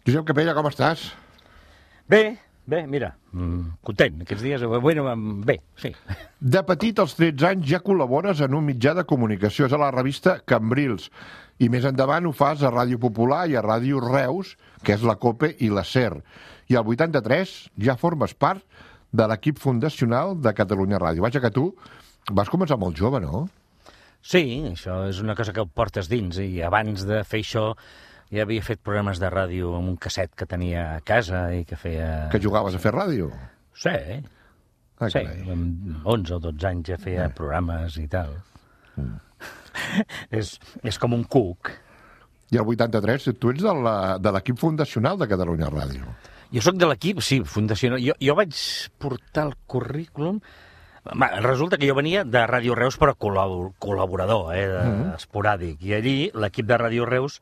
Josep Capella, com estàs? Bé, mira, content aquests dies, bé, sí. De petit, als 13 anys, ja col·labores en un mitjà de comunicació, és a la revista Cambrils, i més endavant ho fas a Ràdio Popular i a Ràdio Reus, que és la COPE i la SER. I al 83 ja formes part de l'equip fundacional de Catalunya Ràdio. Vaja que tu vas començar molt jove, no? Sí, això és una cosa que ho portes dins, i abans de fer això ja havia fet programes de ràdio amb un casset que tenia a casa i que feia... Que jugaves a fer ràdio? Sí, Ah, sí, carai. amb 11 o 12 anys ja feia programes i tal. És com un cuc. I al 83 tu ets de l'equip fundacional de Catalunya Ràdio. Jo sóc de l'equip, sí, fundacional. Jo vaig portar el currículum... Resulta que jo venia de Ràdio Reus, però col·laborador, esporàdic. I allí l'equip de Ràdio Reus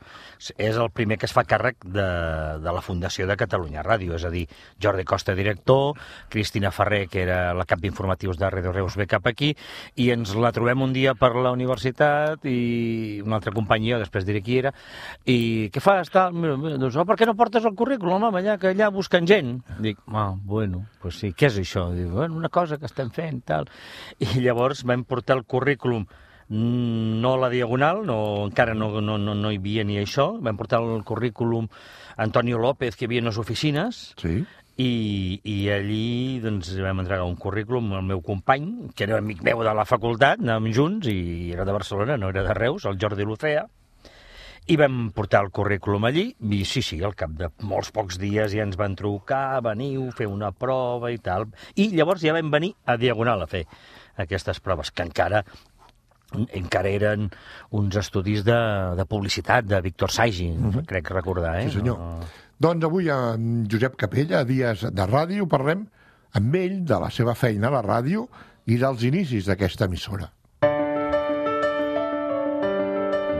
és el primer que es fa càrrec de la Fundació de Catalunya Ràdio. És a dir, Jordi Costa, director, Cristina Ferrer, que era la cap d'informatius de Ràdio Reus, ve cap aquí, i ens la trobem un dia per la universitat, i una altra companyia, després diré qui era, i què fas? Doncs, per què no portes el currículum, home, allà, que allà busquen gent? Dic, bueno, pues sí, què és això? Dic, bueno, una cosa que estem fent, tal. I llavors vam portar el currículum, no a la Diagonal, encara no hi havia ni això, vam portar el currículum a Antonio López, que hi havia en les oficines, Sí? i allí doncs, vam entregar un currículum al meu company, que era amic meu de la facultat, anàvem junts, i era de Barcelona, no era de Reus, el Jordi Lucea, i vam portar el currículum allí, i sí, al cap de molts pocs dies ja ens van trucar, veniu, fer una prova i tal. I llavors ja vam venir a Diagonal a fer aquestes proves, que encara eren uns estudis de publicitat de Víctor Saigi, crec recordar, Sí, senyor. Doncs avui amb Josep Capella, a Dies de Ràdio, parlem amb ell de la seva feina a la ràdio i dels inicis d'aquesta emissora.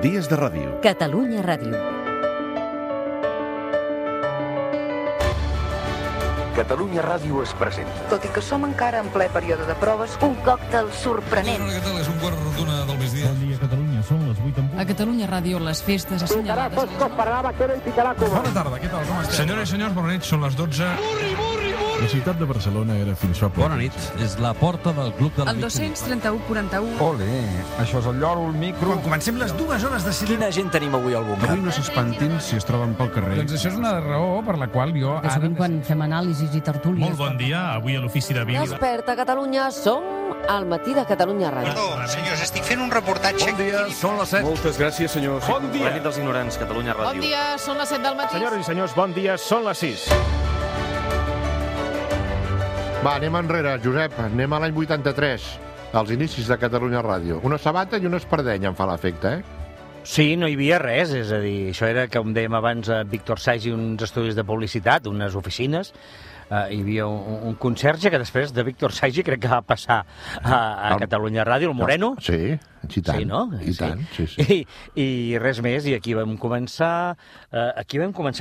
Dies de Ràdio. Catalunya Ràdio. Catalunya Ràdio es presenta. Tot i que som encara en ple període de proves, Un còctel sorprenent. Què tal? És un quart d'una del migdia. Bon dia, Catalunya. Són les 8 en punt. A Catalunya Ràdio, les festes assenyalades. Bona tarda, què tal? Com esteu? Senyores i senyors, bona nit, són les 12. La ciutat de Barcelona era fins fa poc. Bona nit, és la porta del Club de El 231-41. Ole, això és el lloro, el micro... Quan comencem les 2 hores de cinema... Quina gent tenim avui al bunker? Avui no s'espantin si es troben pel carrer. Doncs això és una raó per la qual jo Que sovint quan fem anàlisis i tertúlies... Molt bon dia, avui a l'ofici de vídeo. Desperta, Catalunya. Som al matí de Catalunya Ràdio. Perdó, senyors, estic fent un reportatge... Bon dia, són les 7. Moltes gràcies, senyors. Bon dia. La nit dels ignorants, Catalunya Ràdio. Bon dia, són les 7 del matí. Senyores i senyors, bon dia, són les 6. Va, anem enrere, Josep. Anem a l'any 83, als inicis de Catalunya Ràdio. Una sabata i una espardenya em fa l'efecte, Sí, no hi havia res, és a dir, això era, com dèiem abans, a Víctor Saigi, uns estudis de publicitat, unes oficines, hi havia un conserge que després de Víctor Saigi crec que va passar a Catalunya Ràdio, el Moreno. Sí, i tant. Sí, no? I tant, sí. I res més, i aquí vam començar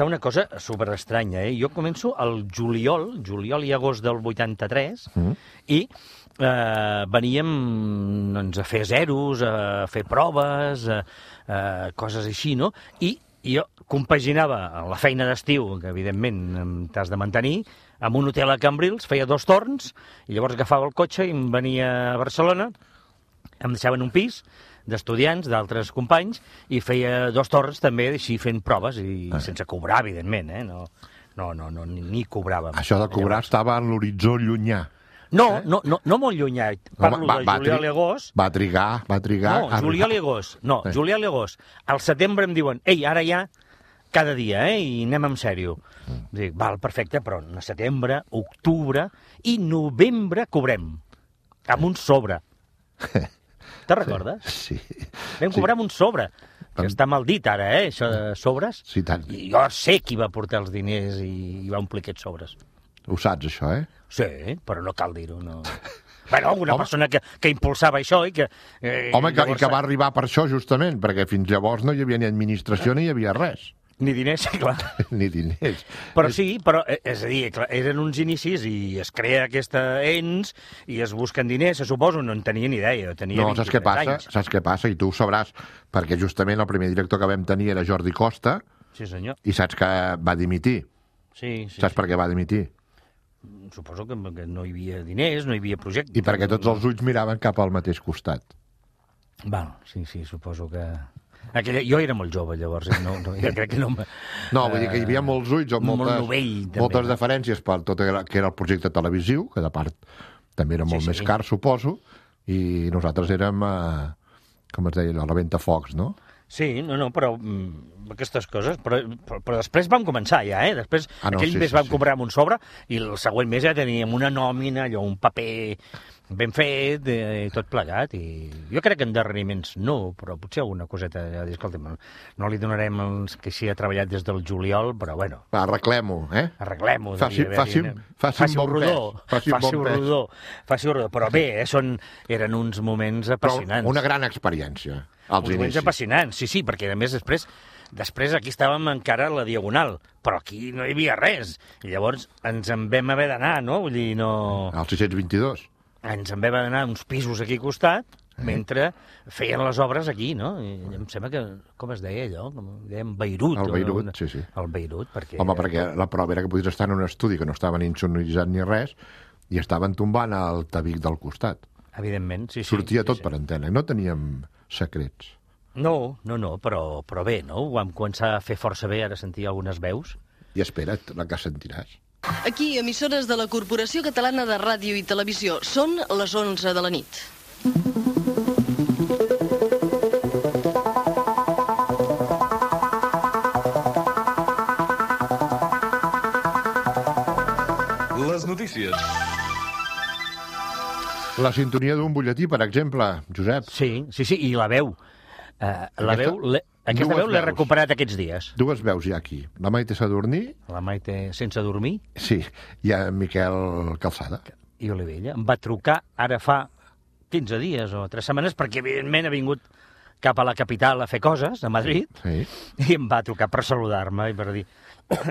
una cosa superestranya, Jo començo al juliol i agost del 83, i veníem doncs, a fer zeros, a fer proves, coses així, no? I jo compaginava la feina d'estiu, que evidentment t'has de mantenir, amb un hotel a Cambrils, feia 2 torns, i llavors agafava el cotxe i em venia a Barcelona, em deixaven un pis d'estudiants, d'altres companys, i feia 2 torns també, així fent proves, i sense cobrar, evidentment, ni cobràvem. Això de cobrar estava en l'horitzó llunyà. No molt llunyà, parlo de juliol i agost. Va trigar. No, juliol i agost. Juliol i agost. Al setembre em diuen, ei, ara ja, cada dia, i anem en sèrio. Dic, val, perfecte, però a setembre, octubre i novembre cobrem. Amb un sobre. Te'n recordes? Sí. Vam cobrar amb un sobre. Que està mal dit ara, això de sobres. Sí, tant. I jo sé qui va portar els diners i va omplir aquests sobres. Ho saps, això, Sí, però no cal dir-ho, no. Bueno, una persona que impulsava això i que... Home, i que va arribar per això, justament, perquè fins llavors no hi havia ni administració ni hi havia res. Ni diners, clar. Ni diners. Però sí, és a dir, clar, eren uns inicis i es crea aquesta ens i es busquen diners, se suposo, no en tenia ni idea. No, saps què passa? I tu ho sabràs, perquè justament el primer director que vam tenir era Jordi Costa, Sí, senyor. I saps que va dimitir. Sí. Saps per què va dimitir? Suposo que no hi havia diners, no hi havia projecte. I perquè tots els ulls miraven cap al mateix costat. Val, sí, suposo que... Jo era molt jove, llavors, jo crec que no... No, vull dir que hi havia molts ulls o moltes deferències per tot que era el projecte televisiu, que de part també era molt més car, suposo, i nosaltres érem, com es deia, la ventafocs, no? Sí, però aquestes coses... Però després vam començar ja, Després, aquell mes vam cobrar amb un sobre i el següent mes ja teníem una nòmina, allò, un paper ben fet i tot plegat. I jo crec que endarreriments no, però potser alguna coseta ja dir, escolta, no li donarem els que s'hi ha treballat des del juliol, però bueno... Arreglem-ho, Arreglem-ho. Faci un rodó. Faci un rodó. Però bé, eren uns moments apassionants. Però una gran experiència, als inicis. Moments apassionants, sí, perquè a més després aquí estàvem encara a la Diagonal, però aquí no hi havia res. I llavors ens en vam haver d'anar, no? Vull dir, no... Al 622. Ens en vam anar a uns pisos aquí al costat, mentre feien les obres aquí, no? I em sembla que, com es deia allò? Dèiem Beirut. El Beirut, sí. El Beirut, perquè... Home, perquè la prova era que podies estar en un estudi que no estava ni insonoritzat ni res i estaven tombant el tabic del costat. Evidentment, sí. Sortia tot per antena, no teníem secrets. No, però bé, no? Ho vam començar a fer força bé, ara sentir algunes veus. I espera't, la que sentiràs. Aquí, emissores de la Corporació Catalana de Ràdio i Televisió. Són les 11 de la nit. Les notícies. La sintonia d'un butlletí, per exemple, Josep. Sí, i la veu. Aquesta veu l'he recuperat aquests dies. Dues veus hi ha aquí. La Maite Sadurní. La Maite sense dormir. Sí, i en Miquel Calçada. I Olivella. Em va trucar ara fa 15 dies o 3 setmanes, perquè evidentment ha vingut cap a la capital a fer coses, a Madrid, i em va trucar per saludar-me i per dir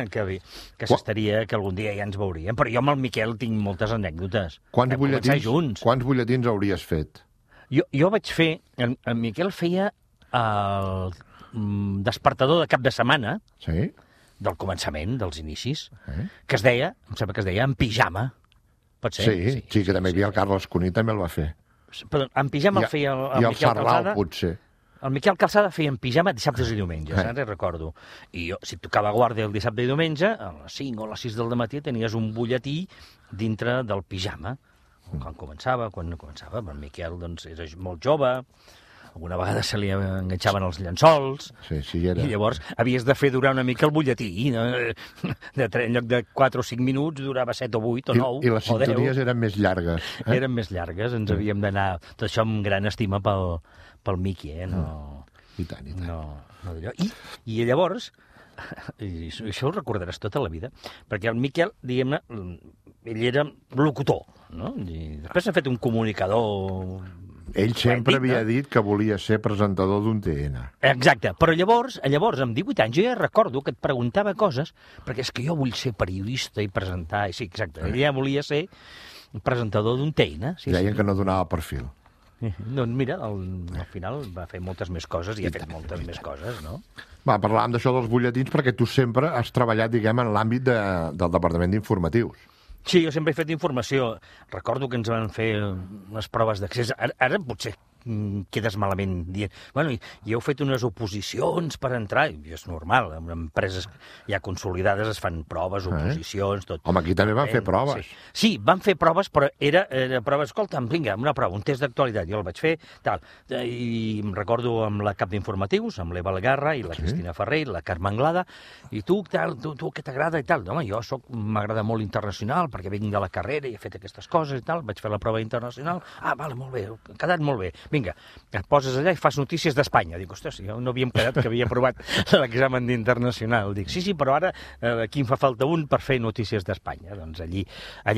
que s'estaria, que algun dia ja ens veuríem. Però jo amb el Miquel tinc moltes anècdotes. Quants butlletins hauries fet? Jo vaig fer... El Miquel feia el despertador de cap de setmana, del començament, dels inicis, que es deia, em sembla que es deia En pijama. Pot ser? Sí, que també hi havia el Carles Cuní, també el va fer. Perdó, En pijama el feia el Miquel Calçada. Potser. El Miquel Calçada feia En pijama dissabtes i diumenges, ara recordo. I jo, si tocava guàrdia el dissabte i diumenge, a les 5 o a les 6 del matí tenies un butlletí dintre del pijama. Quan no començava, el Miquel doncs, era molt jove, alguna vegada se li enganxaven els llençols, i llavors havies de fer durar una mica el butlletí. En lloc de 4 o 5 minuts durava 7 o 8 o 9 o 10. I les sintonies eren més llargues. Eren més llargues, ens havíem d'anar... Tot això amb gran estima pel Miqui, I tant. I llavors, i això ho recordaràs tota la vida, perquè el Miquel, diguem-ne, ell era locutor, no? I després ha fet un comunicador... Ell sempre havia dit que volia ser presentador d'un TN. Exacte, però llavors, amb 18 anys, jo ja recordo que et preguntava coses, perquè és que jo vull ser periodista i presentar, i sí, exacte, ell ja volia ser presentador d'un TN. Deien que no donava perfil. Doncs mira, al final va fer moltes més coses i ha fet moltes més coses, no? Parlàvem d'això dels butlletins perquè tu sempre has treballat, diguem, en l'àmbit del Departament d'Informatius. Sí, jo sempre he fet informació. Recordo que ens van fer unes proves d'accés. Ara potser quedes malament dient... Bueno, i heu fet unes oposicions per entrar, i és normal, en empreses ja consolidades es fan proves, oposicions, tot. Home, aquí també van fer proves. Sí, van fer proves, però era prova, escolta, vinga, una prova, un test d'actualitat, jo el vaig fer, tal. I em recordo amb la cap d'informatius, amb l'Eva Algarra i la Cristina Ferrer, la Carme Anglada, i tu què t'agrada i tal? Home, jo m'agrada molt internacional, perquè vinc de la carrera i he fet aquestes coses i tal, vaig fer la prova internacional, vale, molt bé, ha quedat molt bé. Vinga, et poses allà i fas notícies d'Espanya. Dic, ostres, jo no havíem quedat que havia aprovat l'examen d'internacional. Dic, sí, però ara aquí em fa falta un per fer notícies d'Espanya. Doncs allí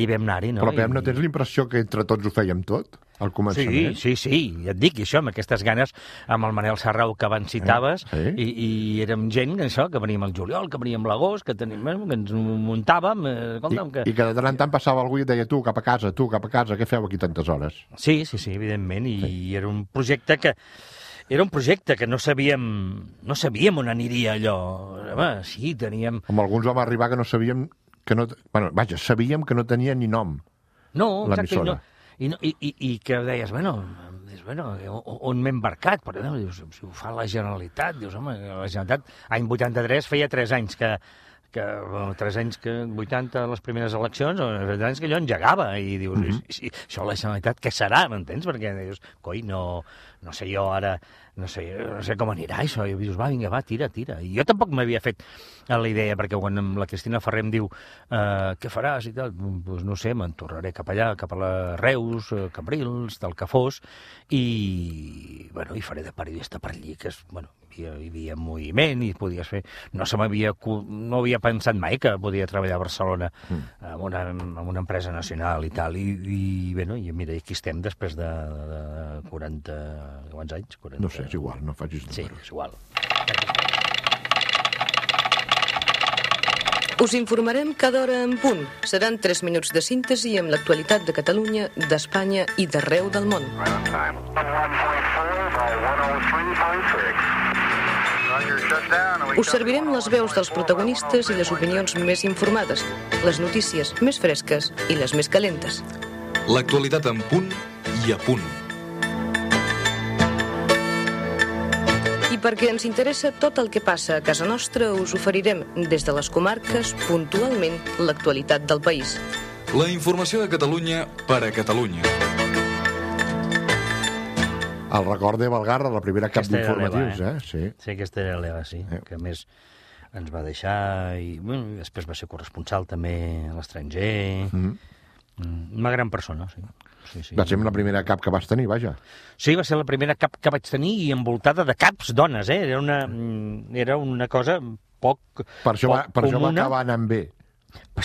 vam anar-hi, no? Però, Pep, no tens l'impressió que entre tots ho fèiem tot, al començament? Sí, ja et dic, això, amb aquestes ganes, amb el Manel Sarrau que abans citaves, i érem gent, això, que veníem al juliol, que veníem a l'agost, que ens muntàvem... I que de tant en tant passava algú i et deia, tu, cap a casa, què feu aquí tantes hores? Sí, evidentment, i era un projecte que era un projecte que no sabíem on aniria allò. Home, sí, teníem... Amb alguns vam arribar que no sabíem... sabíem que no tenia ni nom. No, l'emissora. I que deies, on m'he embarcat? Però no, dius, si ho fa la Generalitat, dius, home, la Generalitat, any 83, feia 3 anys que 3 anys que 80 les primeres eleccions, o 3 anys que allò engegava, i dius, si això la Generalitat, què serà, m'entens? Perquè dius, coi, no sé jo ara, no sé com anirà això, i dius, vinga, tira. I jo tampoc m'havia fet la idea, perquè quan la Cristina Ferrer em diu què faràs i tal, doncs no sé, me'n tornaré cap allà, cap a la Reus, Cambrils, del que fos, i faré de periodista per allí, que és, hi havia moviment i podies fer... No havia pensat mai que podia treballar a Barcelona amb una empresa nacional i tal, i mira, aquí estem després de 40... Quants anys? 40... No sé, és igual, no facis números. Sí, és igual. Us informarem cada hora en punt. Seran 3 minuts de síntesi amb l'actualitat de Catalunya, d'Espanya i d'arreu del món. Us servirem les veus dels protagonistes i les opinions més informades, les notícies més fresques i les més calentes. L'actualitat en punt i a punt. I perquè ens interessa tot el que passa a casa nostra, us oferirem des de les comarques puntualment l'actualitat del país. La informació de Catalunya per a Catalunya. El record de Valgarra, la primera cap d'informatius, Sí, aquesta era l'Eva, sí, que a més ens va deixar i després va ser corresponsal també a l'estranger. Una gran persona, sí. Va ser la primera cap que vas tenir, vaja. Sí, va ser la primera cap que vaig tenir i envoltada de caps dones, Era una cosa poc Per això va acabar anant bé.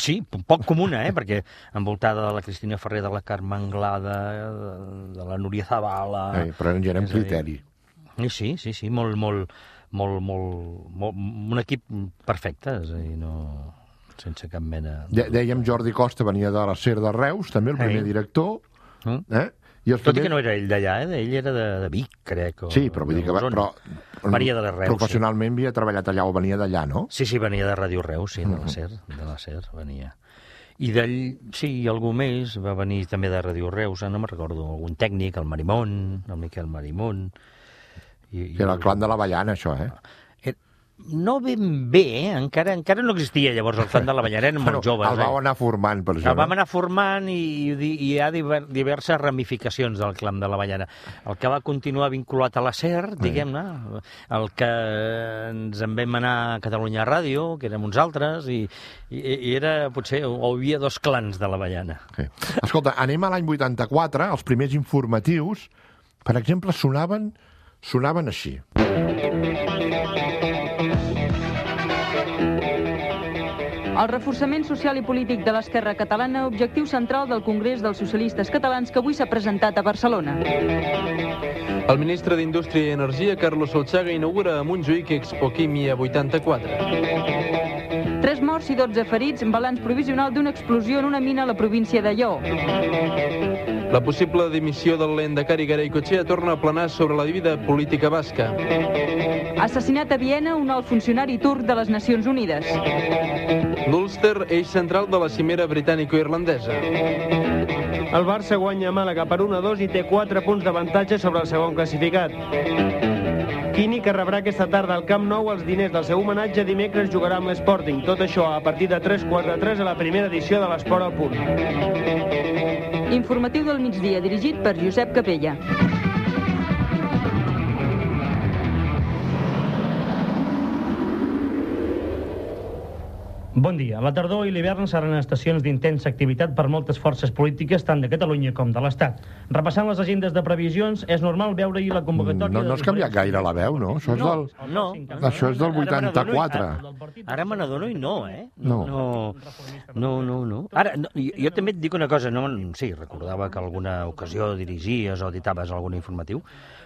Sí, poc comuna, perquè envoltada de la Cristina Ferrer, de la Carme Anglada, de la Núria Zavala... Però ja era un criteri. Sí, un equip perfecte, és a dir, sense cap mena... Dèiem Jordi Costa venia de la SER de Reus, també el primer director, Tot i que no era ell d'allà, ell era de Vic, crec. Sí, però vull dir que venia de les Reus. Professionalment havia treballat allà o venia d'allà, no? Sí, venia de Ràdio Reus, sí, de la SER venia. I d'ell, sí, algú més, va venir també de Ràdio Reus, no me'n recordo, algun tècnic, el Marimón, el Miquel Marimón... Que era el clan de l'Avellana, això, No ben bé, encara no existia llavors el clan de l'Avellana, eren molt joves. El vau anar formant, per això. El vam anar formant i hi ha diverses ramificacions del clan de l'Avellana. El que va continuar vinculat a la SER, diguem-ne, el que ens en vam anar a Catalunya Ràdio, que érem uns altres, i era, potser, hi havia 2 clans de l'Avellana. Escolta, anem a l'any 84, els primers informatius, per exemple, sonaven així. El reforçament social i polític de l'esquerra catalana, objectiu central del Congrés dels Socialistes Catalans que avui s'ha presentat a Barcelona. El ministre d'Indústria i Energia, Carlos Solchaga, inaugura a Montjuïc Expo Químia 84. 3 morts i 12 ferits, balanç provisional d'una explosió en una mina a la província de Lleó. La possible dimissió del lehendakari Garaikoetxea torna a planar sobre la vida política basca. Assassinat a Viena un alt funcionari turc de les Nacions Unides. L'Ulster, eix central de la cimera britànico-irlandesa. El Barça guanya a Màlaga per 1-2 i té 4 punts d'avantatge sobre el segon classificat. Quini, que rebrà aquesta tarda al Camp Nou els diners del seu homenatge, dimecres jugarà amb l'Sporting. Tot això a partir de 3-4-3 a la primera edició de l'Esport al Punt. Informatiu del migdia, dirigit per Josep Capella. Bon dia. La tardor i l'hivern seran estacions d'intensa activitat per moltes forces polítiques, tant de Catalunya com de l'Estat. Repassant les agendes de previsions, és normal veure-hi la convocatòria... No has canviat gaire la veu, no? Això és del 84. Ara me n'adono i no, No. Ara, jo també et dic una cosa. Sí, recordava que alguna ocasió dirigies o editaves algun informatiu,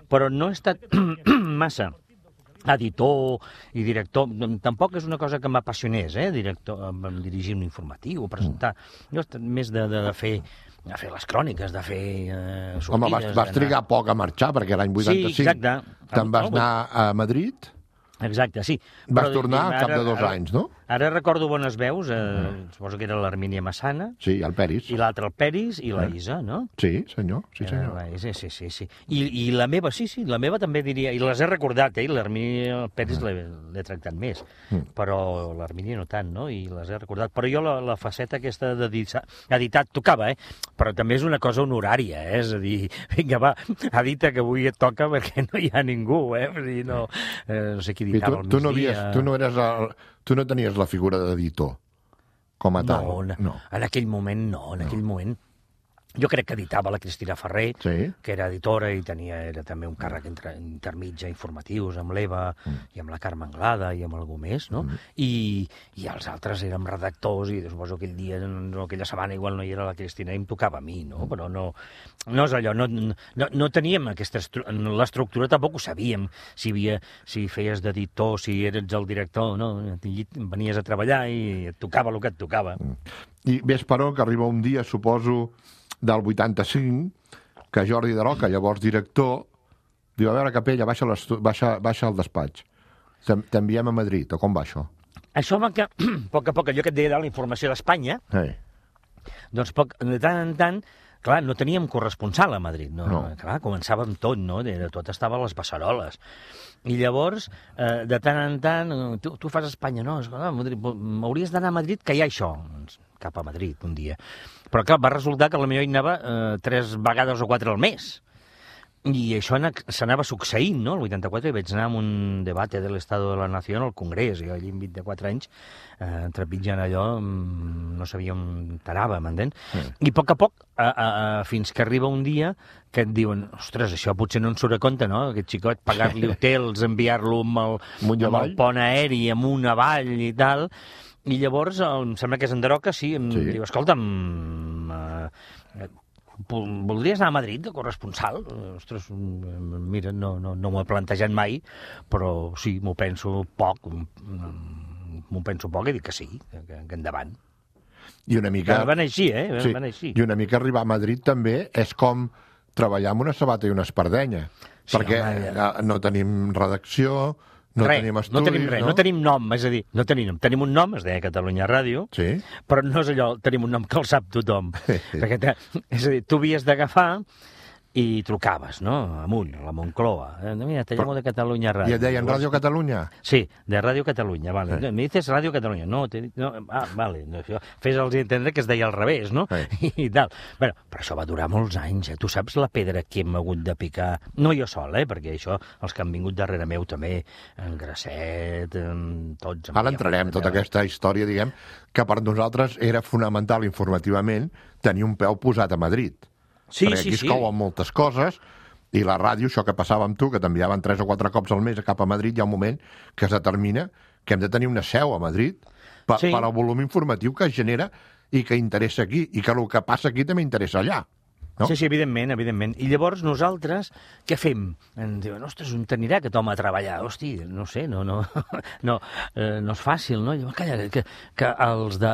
però no he estat massa editor i director. Tampoc és una cosa que m'apassionés, dirigir un informatiu o presentar. Jo he estat més de fer fer les cròniques, de fer sortides... Home, vas trigar poc a marxar, perquè l'any 85 sí, exacte. Te'n vas anar a Madrid... Exacte, sí. Vas tornar al cap de 2 anys, no? Ara recordo bones veus, suposo que era l'Hermínia Massana. Sí, el Peris. I l'altre el Peris i la Isa, no? Sí, senyor. Sí. Sí. I la meva, sí, la meva també diria... I les he recordat, l'Hermínia i el Peris l'he tractat més, però l'Hermínia no tant, no? I les he recordat. Però jo la faceta aquesta d'editat tocava, però també és una cosa honorària, és a dir, vinga, va, edita que avui et toca perquè no hi ha ningú, Vull dir, no sé qui editava al migdia. Tu no tenies la figura d'editor, com a tal? No, en aquell moment no, moment... Jo crec que editava la Cristina Ferrer, que era editora i era també un càrrec intermitja informatius amb l'Eva i amb la Carme Anglada i amb algú més, no? I els altres érem redactors i suposo que aquell dia, aquella setmana igual no hi era la Cristina i em tocava a mi, no? Però no és allò, no teníem aquesta... L'estructura tampoc ho sabíem, si feies d'editor, si eres el director, no? Venies a treballar i et tocava el que et tocava. I ves, però, que arriba un dia, suposo... del 85, que Jordi de Roca, llavors director, diu, a veure, Capella, baixa al despatx. T'enviem a Madrid, o com va això? Això va que, a poc a poc, allò que et deia de la informació d'Espanya, doncs de tant en tant, clar, no teníem corresponsal a Madrid, no. Clar, començàvem tot, no? Tot estava a les passaroles. I llavors, de tant en tant, tu fas a Espanya, no? Hauries d'anar a Madrid, que hi ha això. Cap a Madrid, un dia. Però, clar, va resultar que potser hi anava 3 vegades o 4 al mes. I això s'anava succeint, no? El 84 hi vaig anar a un debate de l'Estado de la Nación al Congrés, i allà amb 24 anys, trepitjant allò, no sabia on t'anava, m'entens? I a poc, fins que arriba un dia que et diuen, ostres, això potser no ens surt a compte, no? Aquest xicot, pagar-li hotels, enviar-lo amb el pont aeri, amunt, avall i tal... I llavors, em sembla que és en Daroca, em diu, escolta'm, voldries anar a Madrid de corresponsal? Ostres, mira, no m'ho he plantejat mai, però sí, m'ho penso poc i dic que sí, que endavant. I una mica... Va anar així, Va anar així. I una mica arribar a Madrid també és com treballar amb una sabata i una espardenya, perquè no tenim redacció... No tenim estudis, no tenim res, no tenim nom, és a dir, no tenim un nom, es deia Catalunya Ràdio, però no és allò, tenim un nom que el sap tothom. Perquè, és a dir, tu havies d'agafar i trucaves, no?, amunt, a la Moncloa. Mira, te llamo de Catalunya Ràdio. I et deien Ràdio Catalunya? Sí, de Ràdio Catalunya, vale. Me dices Ràdio Catalunya. No, vale. Fes-los entendre que es deia al revés, no? I tal. Bueno, però això va durar molts anys, Tu saps la pedra que hem hagut de picar? No jo sol, perquè això, els que han vingut darrere meu també, en Grasset, tots... Ara entrarem tota aquesta història, diguem, que per nosaltres era fonamental informativament tenir un peu posat a Madrid. Perquè aquí es couen moltes coses, i la ràdio, això que passava amb tu, que t'enviaven 3 o 4 cops al mes cap a Madrid, hi ha un moment que es determina que hem de tenir una seu a Madrid per al volum informatiu que es genera i que interessa aquí, i que el que passa aquí també interessa allà. No? Sí, evidentment. I llavors nosaltres, què fem? Ens diuen, ostres, on t'anirà aquest home a treballar? Hosti, no sé, no és fàcil, no? Llavors, calla, que els de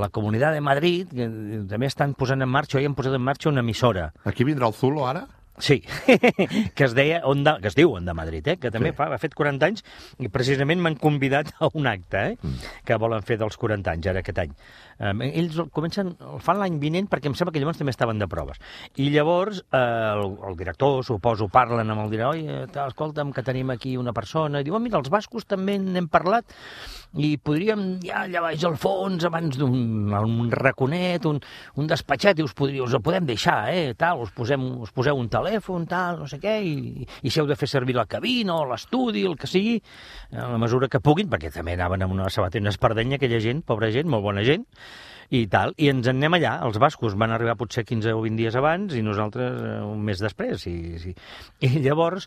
la Comunitat de Madrid que també estan posant en marxa, han posat en marxa una emissora. Aquí vindrà el Zulo, ara? Sí, que es diu Onda Madrid, que també ha fet 40 anys i precisament m'han convidat a un acte que volen fer dels 40 anys, ara aquest any. Ells el fan l'any vinent perquè em sembla que llavors també estaven de proves. I llavors el director, suposo, parlen amb el director, escolta'm, que tenim aquí una persona, i diu, mira, els bascos també n'hem parlat i podríem, ja allà baix al fons, abans d'un raconet, un despatxet, i us ho podem deixar, tal, us poseu un telèfon, tal, no sé què, i si heu de fer servir la cabina o l'estudi, el que sigui, a la mesura que puguin, perquè també anaven amb una sabata i una espardenya, aquella gent, pobra gent, molt bona gent, i tal, i ens en anem allà. Els bascos van arribar potser 15 o 20 dies abans i nosaltres un mes després. I llavors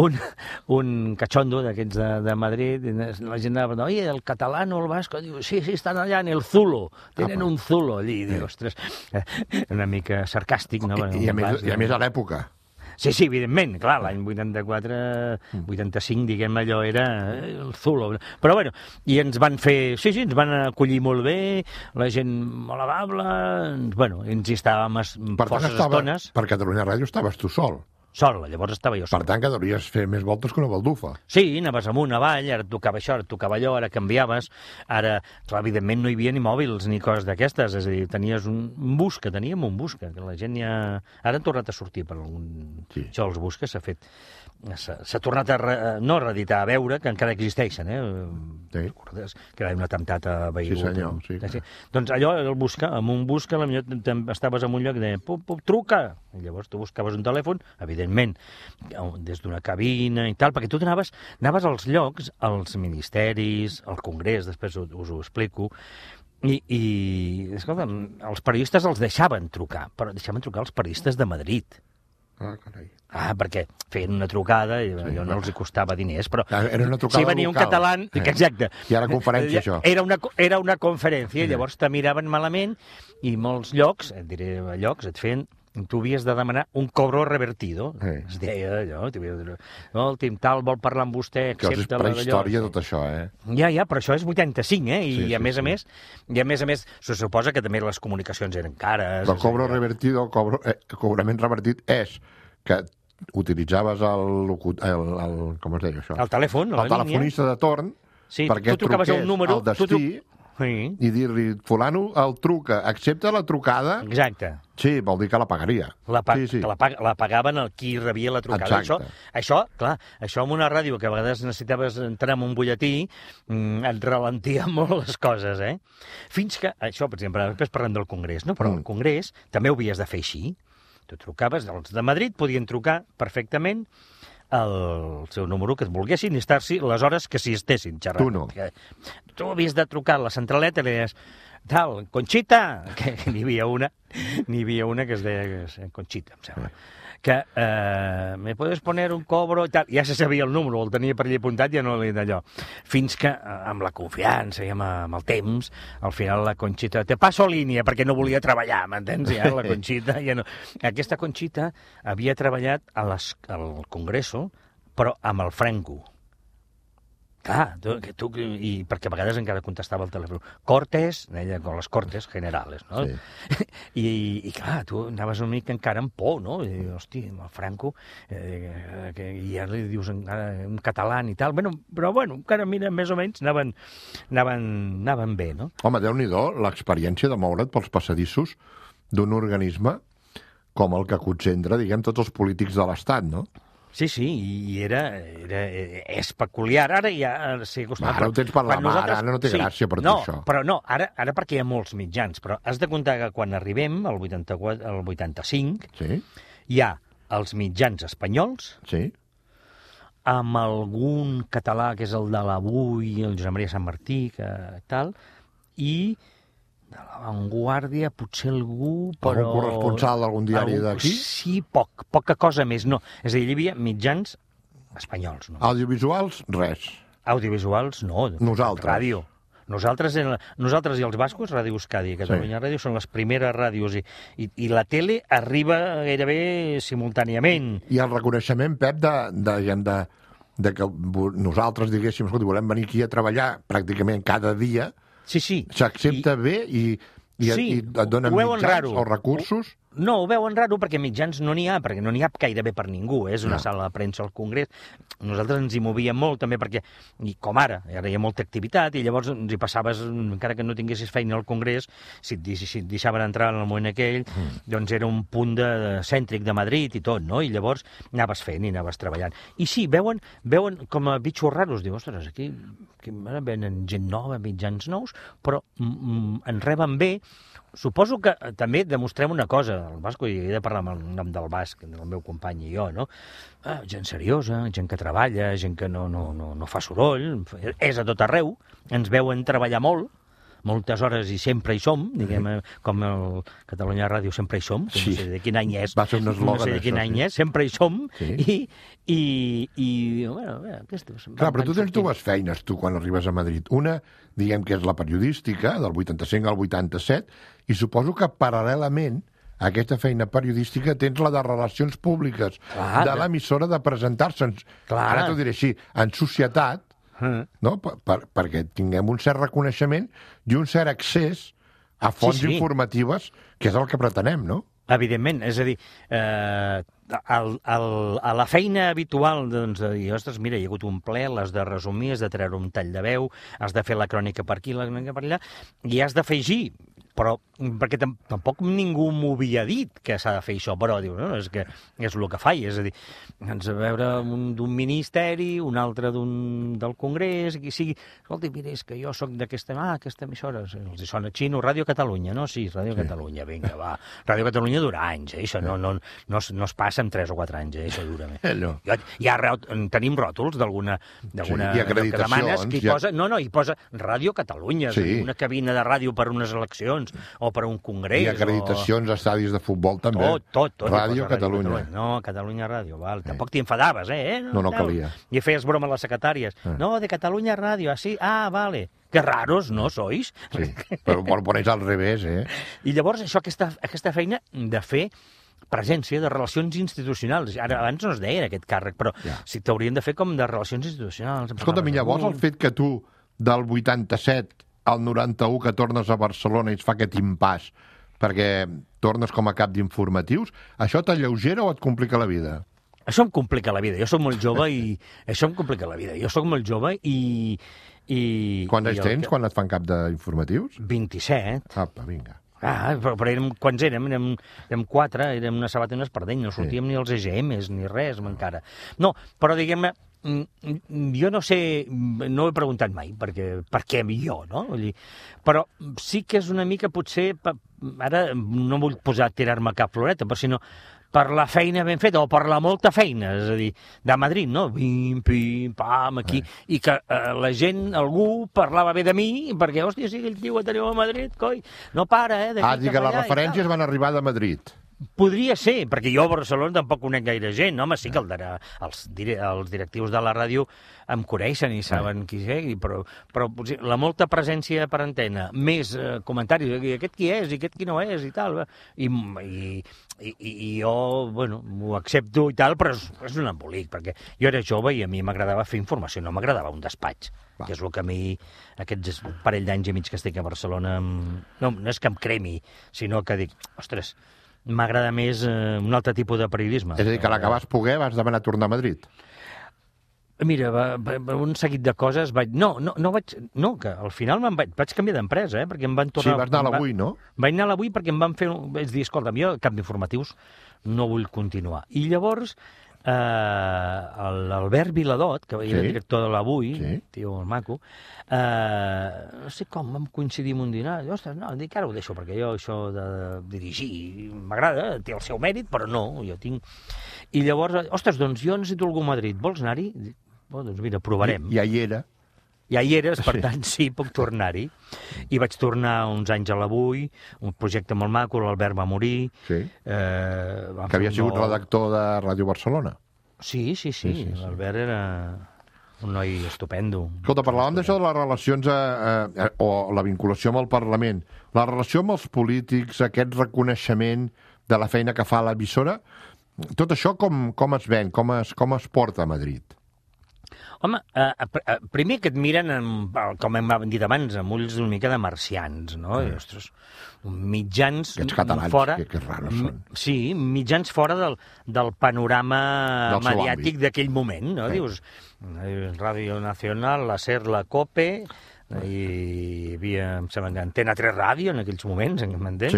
un cachondo d'aquests de Madrid, la gent anava, oi, el català o el basco, diu, sí, estan allà en el Zulo, tenen un Zulo allí, diu, ostres, una mica sarcàstic, no? I a més a l'època. Sí, evidentment, clar, l'any 84-85, diguem, allò era el Zulo. Però, bueno, i ens van fer... Sí, ens van acollir molt bé, la gent molt amable, bueno, ens hi estàvem forces estones. Per Catalunya Ràdio estaves tu sol. Sol, llavors estava jo sol. Per tant, que devries fer més voltes que una baldufa. Sí, anaves amunt, avall, ara et tocava això, ara et tocava allò, ara canviaves, ara, clar, evidentment no hi havia ni mòbils ni coses d'aquestes, és a dir, tenies un busca, teníem un busca, que la gent ja... Ara han tornat a sortir per algun... Sí. Això, els busques s'ha fet... S'ha tornat a no reeditar, a veure, que encara existeixen, Sí. Recordes que hi ha un atemptat a Beirut? Sí, senyor, sí. Sí. Doncs allò, el busca, amb un busca, potser estaves en un lloc i deia, truca! I llavors tu buscaves un telèfon, evidentment, des d'una cabina i tal, perquè tu anaves als llocs, als ministeris, al Congrés, després us ho explico, i escolta, els periodistes els deixaven trucar, però deixaven trucar els periodistes de Madrid. Ah, carai. Perquè feien una trucada i allò no els costava diners, però era una trucada si venia local. Un català... Exacte. I ara conferència, això. Era una conferència, llavors te miraven malament i molts llocs, et feien... Tu havies de demanar un cobro revertido. Es deia allò, el Tim Tal vol parlar amb vostè, accepta la prehistòria, tot això, Ja, però això és 85, I a més a més, se suposa que també les comunicacions eren cares. Però cobro revertido, cobrament revertit és que utilitzaves com es deia això? El telèfon, el telefonista de torn, perquè truqués al destí i dir-li, fulano el truca, accepta la trucada. Exacte. Sí, vol dir que la pagaria. Que la pagaven el qui rebia la trucada. Això, clar, això en una ràdio que a vegades necessitaves entrar en un butlletí et ralentia molt les coses, Fins que, això, per exemple, després parlem del Congrés, no? Però el Congrés també ho havies de fer així. Tu trucaves, els de Madrid podien trucar perfectament el seu número que et volguessin i estar-s'hi les hores que s'hi estessin xerrant. Tu no. Tu havies de trucar a la centraleta i li deies, tal, Conxita, que n'hi havia una que es deia Conxita, em sembla, que me puedes poner un cobro i tal. Ja se sabia el número, el tenia per allà apuntat, ja no li d'allò. Fins que, amb la confiança i amb el temps, al final la Conxita... Te passo línia, perquè no volia treballar, m'entens? Ja, la Conxita ja no... Aquesta Conxita havia treballat al Congreso, però amb el Franco. Clar, perquè a vegades encara contestava el telèfon. Cortes, deia, con les cortes generales, no? Sí. I clar, tu anaves una mica encara amb por, no? I, hòstia, amb el Franco, i ja li dius en català i tal. Però encara, mira, més o menys anaven bé, no? Home, Déu-n'hi-do, l'experiència de moure't pels passadissos d'un organisme com el que concentra, diguem, tots els polítics de l'Estat, no? Sí, i és peculiar. Ara ja s'hi acostumat. Ara ho tens per la mà, ara no té gràcia per tu, això. Però no, ara perquè hi ha molts mitjans, però has de comptar que quan arribem, al 85, hi ha els mitjans espanyols, amb algun català, que és el de l'Avui, el Josep Maria Sant Martí, tal, i de La Vanguardia, potser algú, però... Algun corresponsal d'algun diari d'aquí? Sí, poca cosa més, no. És a dir, hi havia mitjans espanyols, no. Audiovisuals, res. Audiovisuals, no. Nosaltres. Ràdio. Nosaltres i els bascos, Ràdio Euskadi i Catalunya Ràdio, són les primeres ràdios i la tele arriba gairebé simultàniament. I el reconeixement, Pep, de que nosaltres diguéssim, escolta, volem venir aquí a treballar pràcticament cada dia... Sí. S'accepta bé i et donen mitjans o recursos? No, ho veuen raro perquè mitjans no n'hi ha, perquè no n'hi ha gairebé per ningú. És una sala de premsa al Congrés. Nosaltres ens hi movíem molt també perquè, com ara hi ha molta activitat i llavors ens hi passaves, encara que no tinguessis feina al Congrés, si et deixaven entrar en el moment aquell, doncs era un punt cèntric de Madrid i tot, no? I llavors anaves fent i anaves treballant. I sí, veuen com a bitxos raros. Diu, ostres, aquí venen gent nova, mitjans nous, però en reben bé. Suposo que també demostrem una cosa, el Basco, i he de parlar amb el nom del Basc, del meu company i jo, no? Gent seriosa, gent que treballa, gent que no fa soroll, és a tot arreu, ens veuen treballar moltes hores i sempre hi som, diguem, com el Catalunya Ràdio sempre hi som, que no sé de quin any és, va ser un eslògan, no sé de quin any és, sempre hi som, Clar, però tu tens dues feines, tu, quan arribes a Madrid. Una, diguem que és la periodística, del 85 al 87, i suposo que paral·lelament aquesta feina periodística, tens la de relacions públiques de l'emissora de presentar-se, ara t'ho diré així, en societat, no? Perquè tinguem un cert reconeixement i un cert accés a fonts informatives, que és el que pretenem, no? Evidentment, és a dir, a la feina habitual doncs, de dir, ostres, mira, hi ha hagut un ple, l'has de resumir, has de treure un tall de veu, has de fer la crònica per aquí, la crònica per allà, i has d'afegir, però perquè tampoc ningú m'ho havia dit que s'ha de fer això, però diu, no, és que és el que faig, és a dir, ens a veure d'un ministeri, un altre del Congrés, qui sigui, escolta, mira, és que jo sóc d'aquesta emissora, els sona xino, Ràdio Catalunya, no? Sí, Ràdio Catalunya, vinga, va. Ràdio Catalunya dura anys, això no es passa en 3 o 4 anys, això dura més. Tenim ròtols d'alguna i acreditacions. Que posa, hi posa Ràdio Catalunya, una cabina de ràdio per unes eleccions, o per un congrés. I acreditacions a estadis de futbol també. Tot. Ràdio Catalunya. No, Catalunya Ràdio, val. Tampoc t'hi enfadaves, No calia. I feies broma a les secretàries. No, de Catalunya Ràdio, sí, vale. Que raros, ¿no sois? Sí, però ho pones al revés, I llavors això, aquesta feina de fer presència de relacions institucionals. Abans no es deia aquest càrrec, però sí t'haurien de fer com de relacions institucionals. Escolta'm, llavors el fet que tu del 87 al 91 que tornes a Barcelona i es fa aquest impàs perquè tornes com a cap d'informatius, això t'alleugera o et complica la vida? Això em complica la vida. Jo soc molt jove i... Això em complica la vida. Jo soc molt jove i... Quants anys tens quan et fan cap d'informatius? 27. Apa, vinga. Però quants érem? Érem 4, érem una sabata i una espardeny, no sortíem ni els EGMs ni res encara. No, però diguem-ne, jo no sé, no he preguntat mai per què jo, no? Però sí que és una mica, potser, ara no vull tirar-me cap floreta, però sinó per la feina ben feta, o per la molta feina, és a dir, de Madrid, no? Pim, pim, pam, aquí, i que la gent, algú parlava bé de mi, perquè, hòstia, sí, aquell tio que teniu a Madrid, coi, no para, dir que les referències van arribar de Madrid. Podria ser, perquè jo a Barcelona tampoc conec gaire gent, home, sí que els directius de la ràdio em coneixen i saben qui és, però la molta presència per antena, més comentaris, aquest qui és i aquest qui no és i tal, i jo, bueno, m'ho accepto i tal, però és un embolic, perquè jo era jove i a mi m'agradava fer informació, no m'agradava un despatx, que és el que a mi, aquests parell d'anys i mig que estic a Barcelona, no és que em cremi, sinó que dic, ostres, m'agrada més un altre tipus de periodisme. És a dir, que a la que vas poder vas demanar tornar a Madrid? Mira, un seguit de coses vaig... No, que al final vaig canviar d'empresa, perquè em van tornar... Sí, vas anar a l'Avui, no? Vaig anar a l'Avui perquè em van fer... Vaig dir, escolta'm, jo cap d'informatius no vull continuar. I llavors l'Albert Viladot, que era director de l'Avui, tio maco, no sé com vam coincidir en un dinar, ostres, no, dic, ara ho deixo, perquè jo això de dirigir m'agrada, té el seu mèrit, però no, jo tinc... I llavors, ostres, doncs jo necessito algú a Madrid, vols anar-hi? Doncs mira, provarem. Ja hi era. Ja hi eres, per tant, sí, puc tornar-hi. I vaig tornar uns anys a l'Avui, un projecte molt maco, l'Albert va morir. Sí, que havia sigut redactor de Ràdio Barcelona. Sí, l'Albert era un noi estupendo. Escolta, parlàvem d'això de les relacions o la vinculació amb el Parlament. La relació amb els polítics, aquest reconeixement de la feina que fa l'emissora, tot això com es ven, com es porta a Madrid? Home, primer que et miren, com hem dit abans, amb ulls una mica de marcians, no? I, ostres, mitjans fora... que raros són. Sí, mitjans fora del panorama mediàtic d'aquell moment, no? Dius, Ràdio Nacional, la SER, la COPE... hi havia, em sembla, Antena 3 Ràdio en aquells moments, m'entens?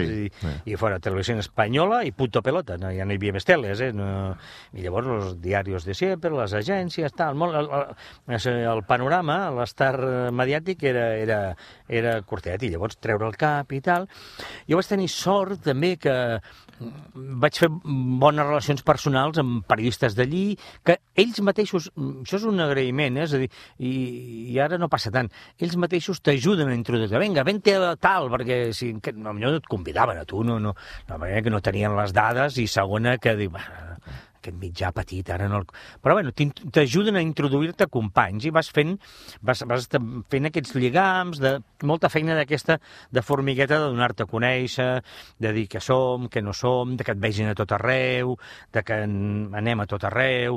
I fora Televisió Espanyola i Punto Pelota, ja no hi havia més teles, i llavors els diaris de sempre, les agències, tal, el panorama, l'estar mediàtic era curtet, i llavors treure el cap i tal. Jo vaig tenir sort també que vaig fer bones relacions personals amb periodistes d'allí, que ells mateixos, això és un agraïment, és a dir, i ara no passa tant, ells mateixos t'ajuden a introduir, vinga, vente a tal, perquè si, no et convidaven a tu, no, que no tenien les dades, i segona que diu, aquest mitjà petit, ara no... Però bueno, t'ajuden a introduir-te companys i vas fent aquests lligams, molta feina d'aquesta de formigueta, de donar-te a conèixer, de dir que som, que no som, de que et vegin a tot arreu, de que anem a tot arreu.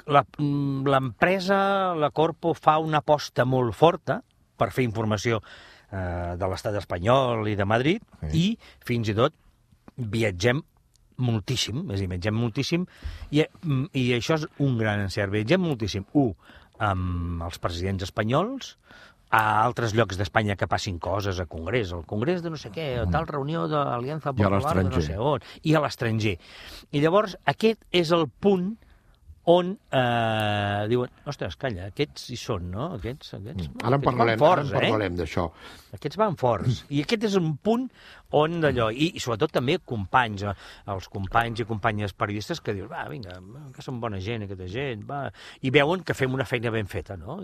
L'empresa, la Corpo, fa una aposta molt forta per fer informació de l'estat espanyol i de Madrid, i fins i tot viatgem moltíssim, és a dir, viatgem moltíssim, i això és un gran encert. Viatgem moltíssim, amb els presidents espanyols, a altres llocs d'Espanya que passin coses, a Congrés, al Congrés de no sé què, a tal reunió de l'Aliança Popular de no sé on, i a l'estranger. I llavors aquest és el punt on diuen, ostres, calla, aquests hi són, no? Aquests Ara en parlarem d'això. Aquests van forts. I aquest és un punt on d'allò, i sobretot també companys, els companys i companyes periodistes que dius, va, vinga, que són bona gent, aquesta gent, va, i veuen que fem una feina ben feta, no?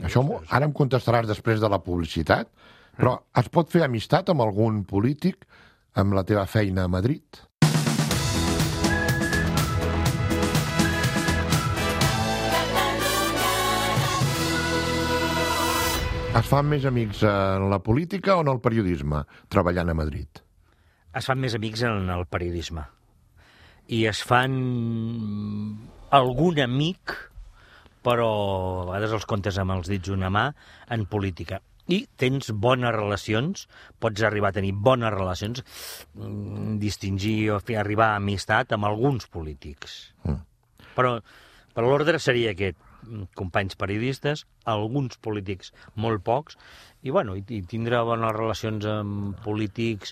Això ara em contestaràs després de la publicitat, però es pot fer amistat amb algun polític amb la teva feina a Madrid? Es fan més amics en la política o en el periodisme, treballant a Madrid? Es fan més amics en el periodisme. I es fan algun amic, però a vegades els comptes amb els dits d'una mà, en política. I tens bones relacions, pots arribar a tenir bones relacions, distingir o arribar a amistat amb alguns polítics. Però l'ordre seria aquest: companys periodistes, alguns polítics molt pocs, i bueno, i tindre bones relacions amb polítics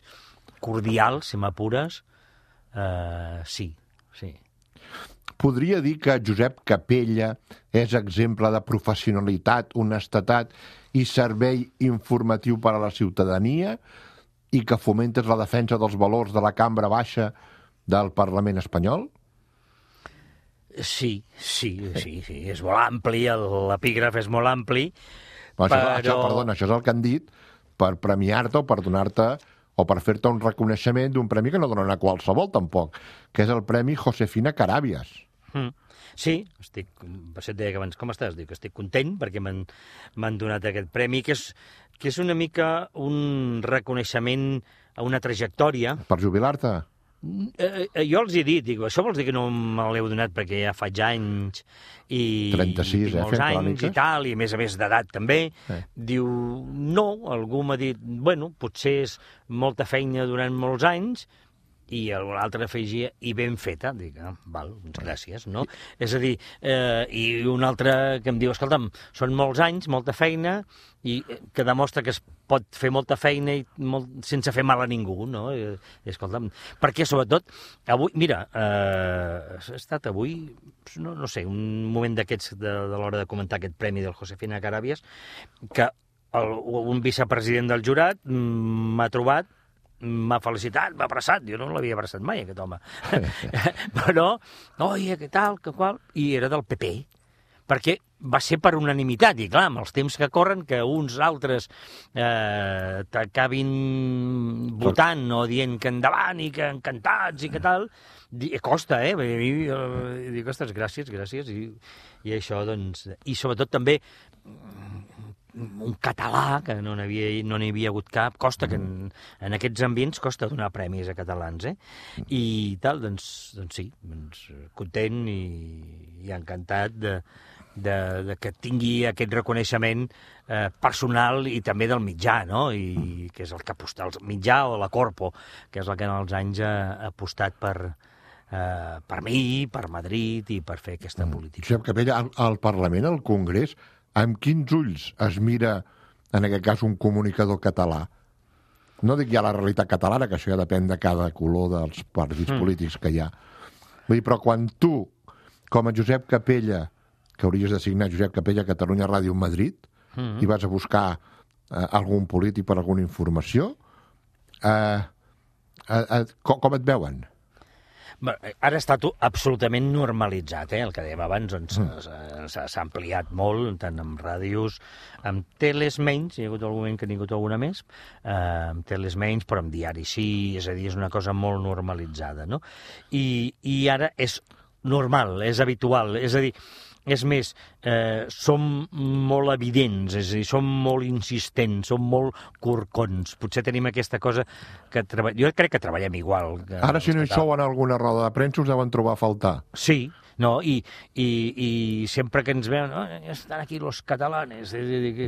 cordials, si m'apures, sí. Podria dir que Josep Capella és exemple de professionalitat, honestedat i servei informatiu per a la ciutadania, i que fomentes la defensa dels valors de la cambra baixa del Parlament espanyol? Sí, és molt ampli, l'epígraf és molt ampli, Perdona, això és el que han dit per premiar-te o per donar-te o per fer-te un reconeixement d'un premi que no donen a qualsevol, tampoc, que és el Premi Josefina Carabias. Sí, per això et deia que abans, com estàs? Dic que estic content perquè m'han donat aquest premi, que és una mica un reconeixement a una trajectòria. Per jubilar-te? Jo els he dit, dic, això vols dir que no me l'heu donat perquè ja faig anys i 36, molts anys i tal, i a més d'edat també. Diu, no, algú m'ha dit, bueno, potser és molta feina durant molts anys, i l'altre afegia, i ben feta. Dic, val, gràcies, no? És a dir, i un altre que em diu, escolta'm, són molts anys, molta feina, i que demostra que es pot fer molta feina sense fer mal a ningú, no? Escolta'm, perquè sobretot, avui, mira, ha estat avui, no sé, un moment d'aquests de l'hora de comentar aquest premi del Josefina Carabias, que un vicepresident del jurat m'ha trobat, m'ha felicitat, m'ha abraçat, jo no l'havia abraçat mai, aquest home. Però, oye, què tal, què qual, i era del PP, perquè va ser per unanimitat, i clar, amb els temps que corren, que uns altres t'acabin votant o dient que endavant i que encantats i que tal, costa, dic, ostres, gràcies, i això, doncs, i sobretot també un català, que no n'hi havia hagut cap, costa que en aquests ambients costa donar premis a catalans, i tal, doncs sí, content i encantat de que tingui aquest reconeixement personal i també del mitjà, no? I que és el que aposta, el mitjà o la Corpo, que és el que en els anys ha apostat per mi, per Madrid i per fer aquesta política. Josep Capella, al Parlament, al Congrés, amb quins ulls es mira, en aquest cas, un comunicador català? No dic ja la realitat catalana, que això ja depèn de cada color dels partits polítics que hi ha. Vull dir, però quan tu, com a Josep Capella, que hauries de signar Josep Capella Catalunya Ràdio Madrid, i vas a buscar algun polític per alguna informació, com et veuen? Ara ha estat absolutament normalitzat, el que dèiem abans, s'ha ampliat molt, tant amb ràdios, amb teles menys, hi ha hagut algun moment que n'hi ha hagut alguna més, amb teles menys, però amb diaris sí, és a dir, és una cosa molt normalitzada, no? I ara és normal, és habitual. És a dir, és més, som molt evidents, és a dir, som molt insistents, som molt corcons. Potser tenim aquesta cosa que jo crec que treballem igual. Ara, si no hi sou en alguna roda de premsa, us deuen trobar a faltar. Sí, no, i sempre que ens veuen, estan aquí los catalanes,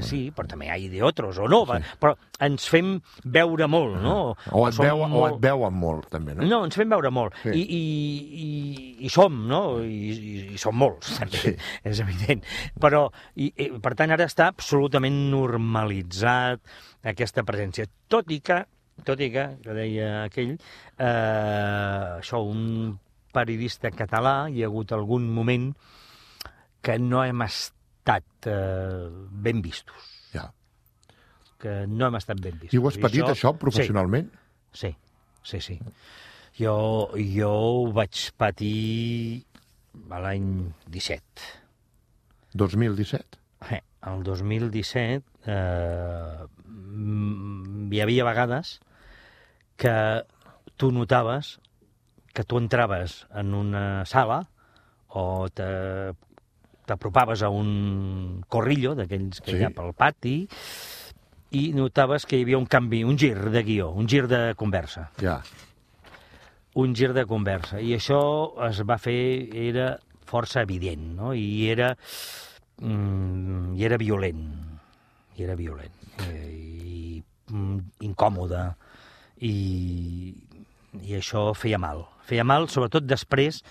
sí, però també hi ha d'altres, o no, sí. Però ens fem veure molt, no? O et veuen molt, també, no? No, ens fem veure molt, sí. I som, no? I som molts, també, sí. És evident. Però, per tant, ara està absolutament normalitzat aquesta presència, tot i que deia aquell, això, un periodista català, hi ha hagut algun moment que no hem estat ben vistos. Ja. Que no hem estat ben vistos. I ho has patit, això, professionalment? Sí. Jo ho vaig patir a l'any 17. 2017? El 2017 hi havia vegades que tu notaves que tu entraves en una sala o t'apropaves a un corrillo d'aquells que hi ha pel pati i notaves que hi havia un canvi, un gir de guió, un gir de conversa. Ja. Un gir de conversa. I això es va fer, era força evident, no? I era violent. I era violent. I incòmode. I això feia mal. Feia mal, sobretot després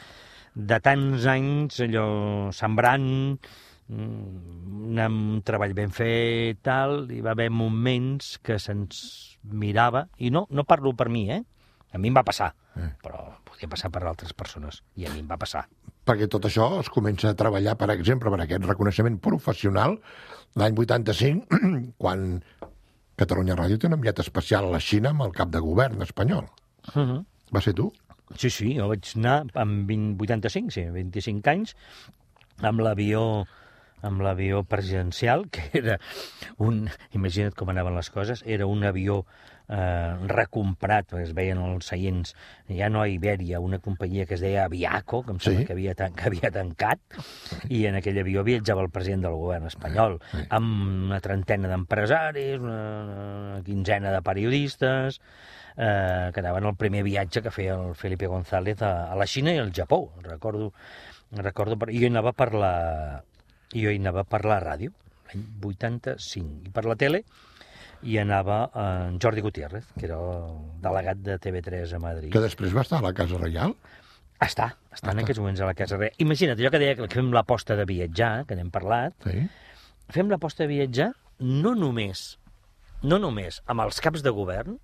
de tants anys allò sembrant un treball ben fet, tal, hi va haver moments que se'ns mirava, i no parlo per mi, a mi em va passar, però podia passar per altres persones, i a mi em va passar. Perquè tot això es comença a treballar, per exemple, per aquest reconeixement professional l'any 85, quan Catalunya Ràdio té un enviat especial a la Xina amb el cap de govern espanyol. Va ser tu? Sí, jo vaig anar amb 25 anys, amb l'avió presidencial, que era imagina't com anaven les coses, era un avió recomprat, perquè es veien els seients, ja no a Ibèria, una companyia que es deia Aviaco, que em sembla que havia tancat, i en aquell avió viatjava el president del govern espanyol, amb una trentena d'empresaris, una quinzena de periodistes, que anaven al primer viatge que feia el Felipe González a la Xina i al Japó. Recordo, jo hi anava per la ràdio, l'any 85, i per la tele hi anava en Jordi Gutiérrez, que era el delegat de TV3 a Madrid. Que després va estar a la Casa Reial? Està en aquests moments a la Casa Reial. Imagina't, jo que deia que fem l'aposta de viatjar, que n'hem parlat, fem l'aposta de viatjar no només amb els caps de govern,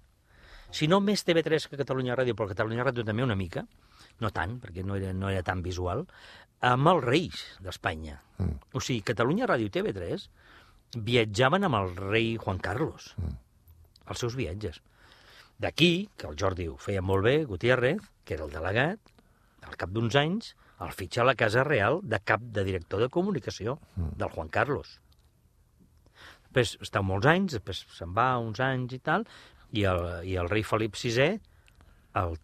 sinó més TV3 que Catalunya Ràdio, però Catalunya Ràdio també una mica, no tant, perquè no era tan visual, amb els reis d'Espanya. O sigui, Catalunya Ràdio i TV3 viatjaven amb el rei Juan Carlos, els seus viatges. D'aquí, que el Jordi ho feia molt bé, Gutiérrez, que era el delegat, al cap d'uns anys, el fitxa a la Casa Real de cap de director de comunicació del Juan Carlos. Després està molts anys, després se'n va uns anys i tal, i el rei Felip VI el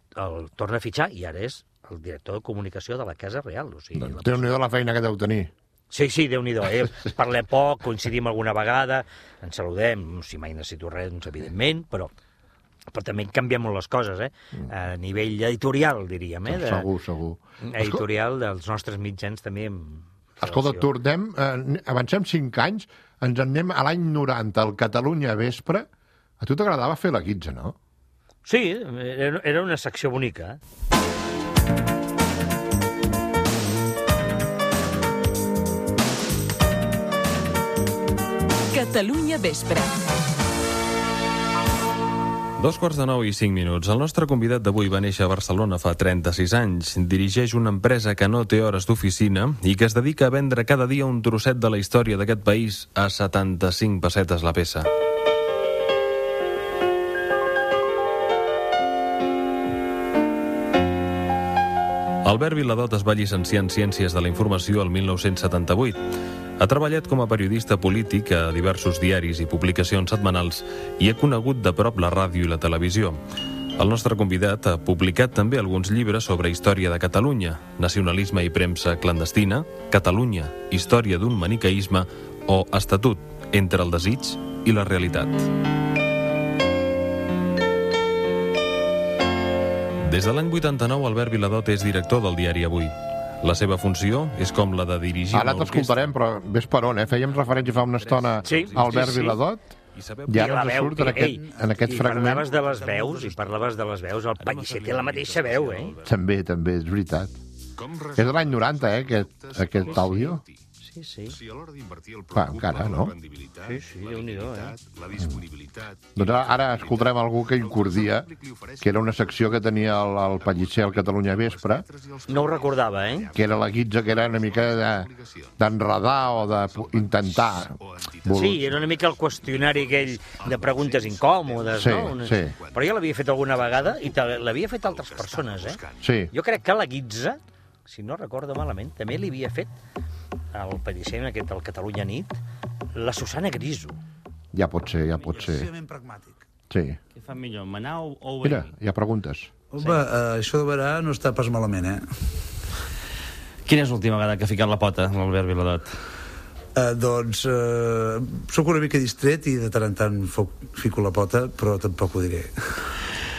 torna a fitxar i ara és el director de comunicació de la Casa Real. O sigui, Déu-n'hi-do la feina que deu tenir. Sí, Déu-n'hi-do. Parlem poc, coincidim alguna vegada, ens saludem, si mai necessito res, doncs, evidentment, però també canvien molt les coses, a nivell editorial, diríem. Segur. Editorial dels nostres mitjans també. Escolta, avancem 5 anys, ens en anem a l'any 90, al Catalunya Vespre. A tu t'agradava fer la guitza, no? Sí, era una secció bonica. Catalunya Vespre. 2:45. El nostre convidat d'avui va néixer a Barcelona fa 36 anys. Dirigeix una empresa que no té hores d'oficina i que es dedica a vendre cada dia un trosset de la història d'aquest país a 75 pessetes la peça. Albert Viladot es va llicenciar en Ciències de la Informació el 1978. Ha treballat com a periodista polític a diversos diaris i publicacions setmanals i ha conegut de prop la ràdio i la televisió. El nostre convidat ha publicat també alguns llibres sobre història de Catalunya, nacionalisme i premsa clandestina, Catalunya, història d'un maniqueisme o Estatut, entre el desig i la realitat. Des de l'any 89, Albert Viladot és director del diari Avui. La seva funció és com la de dirigir una orquestra. Ara t'escoltarem, però ves per on, Fèiem referència fa una estona a Albert Viladot i ara ens surt en aquest fragment. I parlaves de les veus, el Pellicer té la mateixa veu, També, és veritat. És de l'any 90, aquest àudio. Sí. Encara, no? Sí, Déu-n'hi-do, La disponibilitat... Doncs ara escoltarem algú que incordia, que era una secció que tenia el Pellicer al Catalunya Vespre. No ho recordava, Que era la guitza, que era una mica d'enredar o d'intentar. Sí, era una mica el qüestionari aquell de preguntes incòmodes, no? Sí. Però jo l'havia fet alguna vegada i l'havia fet altres persones, Sí. Jo crec que la guitza, si no recordo malament, també li havia fet el Pellicer, aquest, el Catalunya Nit, la Susana Griso. Ja pot ser. pragmàtic. Sí. Què fa millor, manar o venir? Mira, hi ha preguntes. Home, això de verar no està pas malament, Quina és l'última vegada que ha ficat la pota, l'Albert Viladot? Doncs sóc una mica distret i de tant en tant fico la pota, però tampoc ho diré.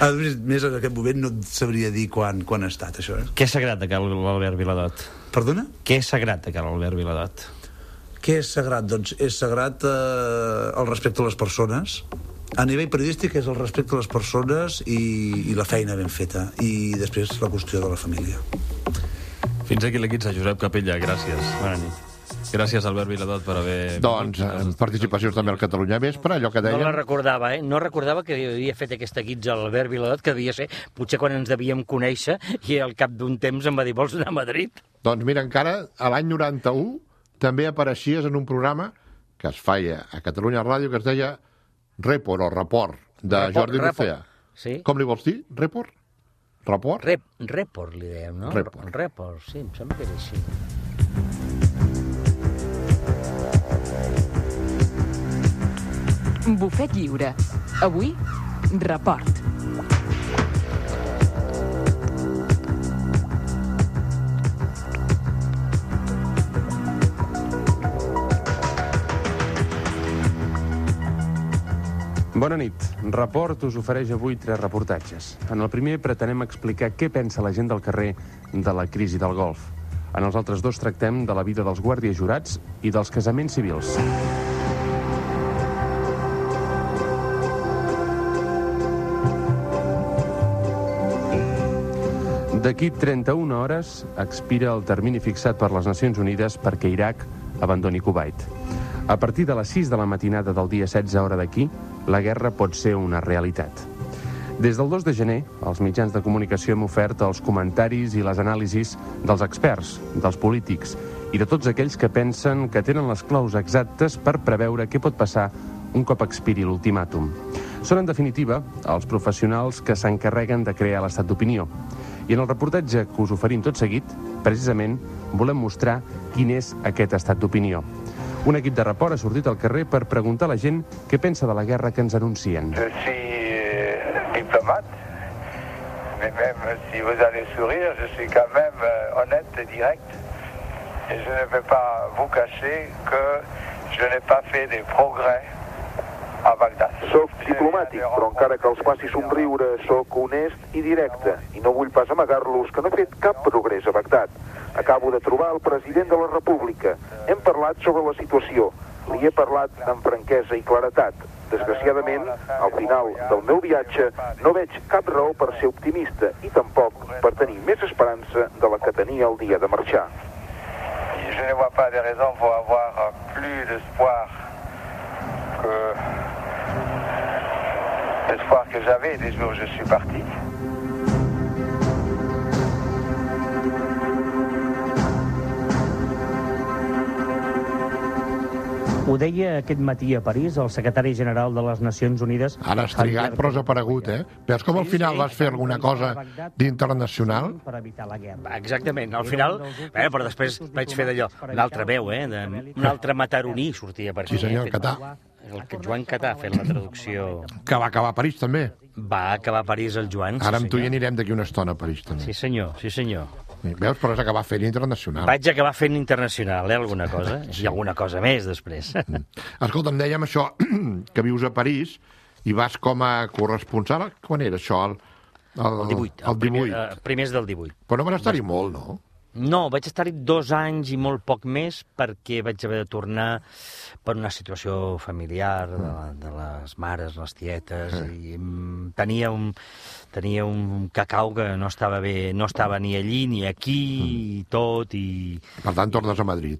A més, en aquest moment no et sabria dir quan ha estat, això. Què és sagrat de cara l'Albert Viladot? Perdona? Què és sagrat de cara l'Albert Viladot? Què és sagrat? Doncs és sagrat el respecte a les persones. A nivell periodístic és el respecte a les persones i la feina ben feta. I després la qüestió de la família. Fins aquí la guitza, Josep Capella, gràcies. Bona nit. Gràcies, Albert Viladot, per haver... Doncs, participacions també al Catalunya Vespre, allò que deien... No la recordava, No recordava que havia fet aquesta guitza a l'Albert Viladot, que devia ser potser quan ens devíem conèixer i al cap d'un temps em va dir, vols anar a Madrid? Doncs mira, encara a l'any 91 també apareixies en un programa que es feia a Catalunya Ràdio que es deia Report, de Jordi Lucea. Sí. Com li vols dir? Report? Report, li dèiem, no? Report, sí, em sembla que és així. Bufet lliure. Avui, Report. Bona nit. Report us ofereix avui 3 reportatges. En el primer pretenem explicar què pensa la gent del carrer de la crisi del Golf. En els altres 2 tractem de la vida dels guàrdies jurats i dels casaments civils. D'aquí 31 hores expira el termini fixat per les Nacions Unides perquè Iraq abandoni Kuwait. A partir de les 6 de la matinada del dia 16 hora d'aquí, la guerra pot ser una realitat. Des del 2 de gener, els mitjans de comunicació hem ofert els comentaris i les anàlisis dels experts, dels polítics i de tots aquells que pensen que tenen les claus exactes per preveure què pot passar un cop expiri l'ultimàtum. Són, en definitiva, els professionals que s'encarreguen de crear l'estat d'opinió. I en el reportatge que us oferim tot seguit, precisament, volem mostrar quin és aquest estat d'opinió. Un equip de Report ha sortit al carrer per preguntar a la gent què pensa de la guerra que ens anuncien. Je suis diplomate, mais même si vous allez sourire, je suis quand même honnête et direct. Et je ne vais pas vous cacher que je n'ai pas fait des progrès a Bagdad. Soc diplomàtic, però encara que els faci somriure, soc honest i directe. I no vull pas amagar-los que no he fet cap progrés a Bagdad. Acabo de trobar el president de la República. Hem parlat sobre la situació. Li he parlat amb franquesa i claretat. Desgraciadament, al final del meu viatge, no veig cap raó per ser optimista i tampoc per tenir més esperança de la que tenia el dia de marxar. Je ne vois pas de raison pour avoir plus d'espoir que l'espoir que j'avais des jours où je suis parti. Ho deia aquest matí a París el secretari general de les Nacions Unides... Ara has trigat, però has aparegut, Veus com al final vas fer alguna cosa d'internacional? Per evitar la guerra. Exactament, al final... però després vaig fer d'allò, una altra veu, un altre mataroní sortia per aquí. Sí, senyor, Catà. El Joan Catà ha fet la traducció... Que va acabar a París, també. Va acabar a París el Joan. Ara amb tu hi anirem d'aquí una estona a París, també. Sí, senyor, sí, senyor. Veus, però has acabat fent internacional. Vaig acabar fent internacional, alguna cosa. I alguna cosa més, després. Escolta'm, dèiem això, que vius a París i vas com a corresponsal. Quan era això? El 18. El 18. Primers del 18. Però no van estar-hi molt, no? No, vaig estar-hi 2 anys i molt poc més perquè vaig haver de tornar per una situació familiar de les mares, les tietes, i tenia un cacau que no estava bé, no estava ni allí ni aquí i tot. Per tant, tornes a Madrid.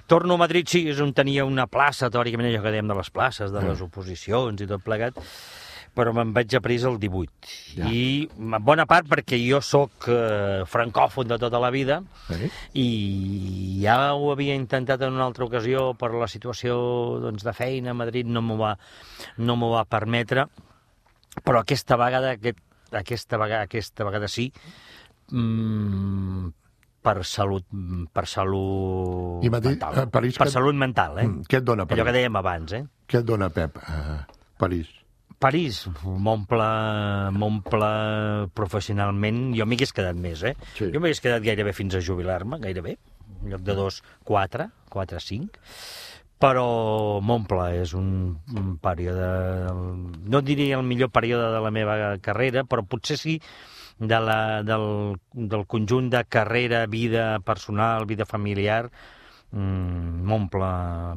Torno a Madrid, sí, és on tenia una plaça, teòricament allò que dèiem de les places, de les oposicions i tot plegat, però me'n vaig a París el 18. Ja. I en bona part perquè jo sóc francòfon de tota la vida, i ja ho havia intentat en una altra ocasió, però la situació doncs, de feina a Madrid no m'ho va permetre, però aquesta vegada sí, per salut mental. Per salut mental, Què et dona París? Allò que dèiem abans, Què et dona, Pep, París? París m'omple professionalment. Jo m'hi hagués quedat més, Sí. Jo m'hagués quedat gairebé fins a jubilar-me, gairebé. En lloc de 2, 4, 5. Però m'omple, és un període... No diria el millor període de la meva carrera, però potser sí del conjunt de carrera, vida personal, vida familiar, m'omple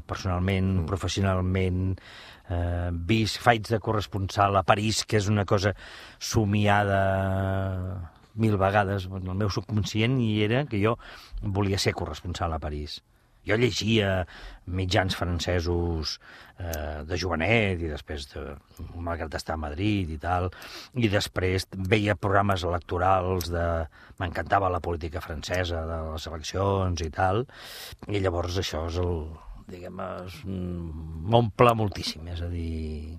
personalment, professionalment. Faig de corresponsal a París, que és una cosa somiada 1000 vegades en el meu subconscient, i era que jo volia ser corresponsal a París. Jo llegia mitjans francesos de jovenet, i després, malgrat estar a Madrid i tal, i després veia programes electorals m'encantava la política francesa, de les eleccions i tal, i llavors això és m'omple moltíssim, és a dir,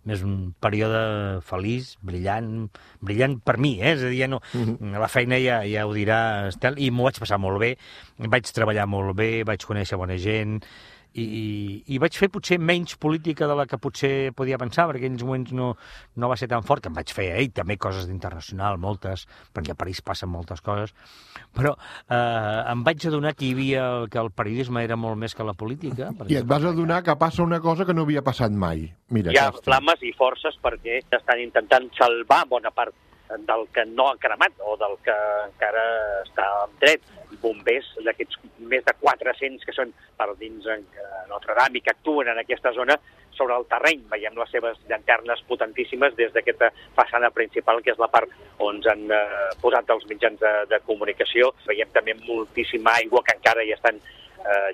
és un període feliç, brillant per mi, és a dir, la feina ja ho dirà Estel, i m'ho vaig passar molt bé, vaig treballar molt bé, vaig conèixer bona gent, i vaig fer potser menys política de la que potser podia pensar, perquè en aquells moments no va ser tan fort, que em vaig fer també coses d'internacional, moltes, perquè a París passen moltes coses, però em vaig adonar que que el periodisme era molt més que la política. I et vas adonar que passa una cosa que no havia passat mai. Mira, hi ha flames i forces perquè estan intentant salvar bona part del que no ha cremat o del que encara està en dret. Bombers, d'aquests més de 400 que són per dins Notre Dame i que actuen en aquesta zona sobre el terreny. Veiem les seves llanternes potentíssimes des d'aquesta façana principal, que és la part on ens han posat els mitjans de comunicació. Veiem també moltíssima aigua que encara hi estan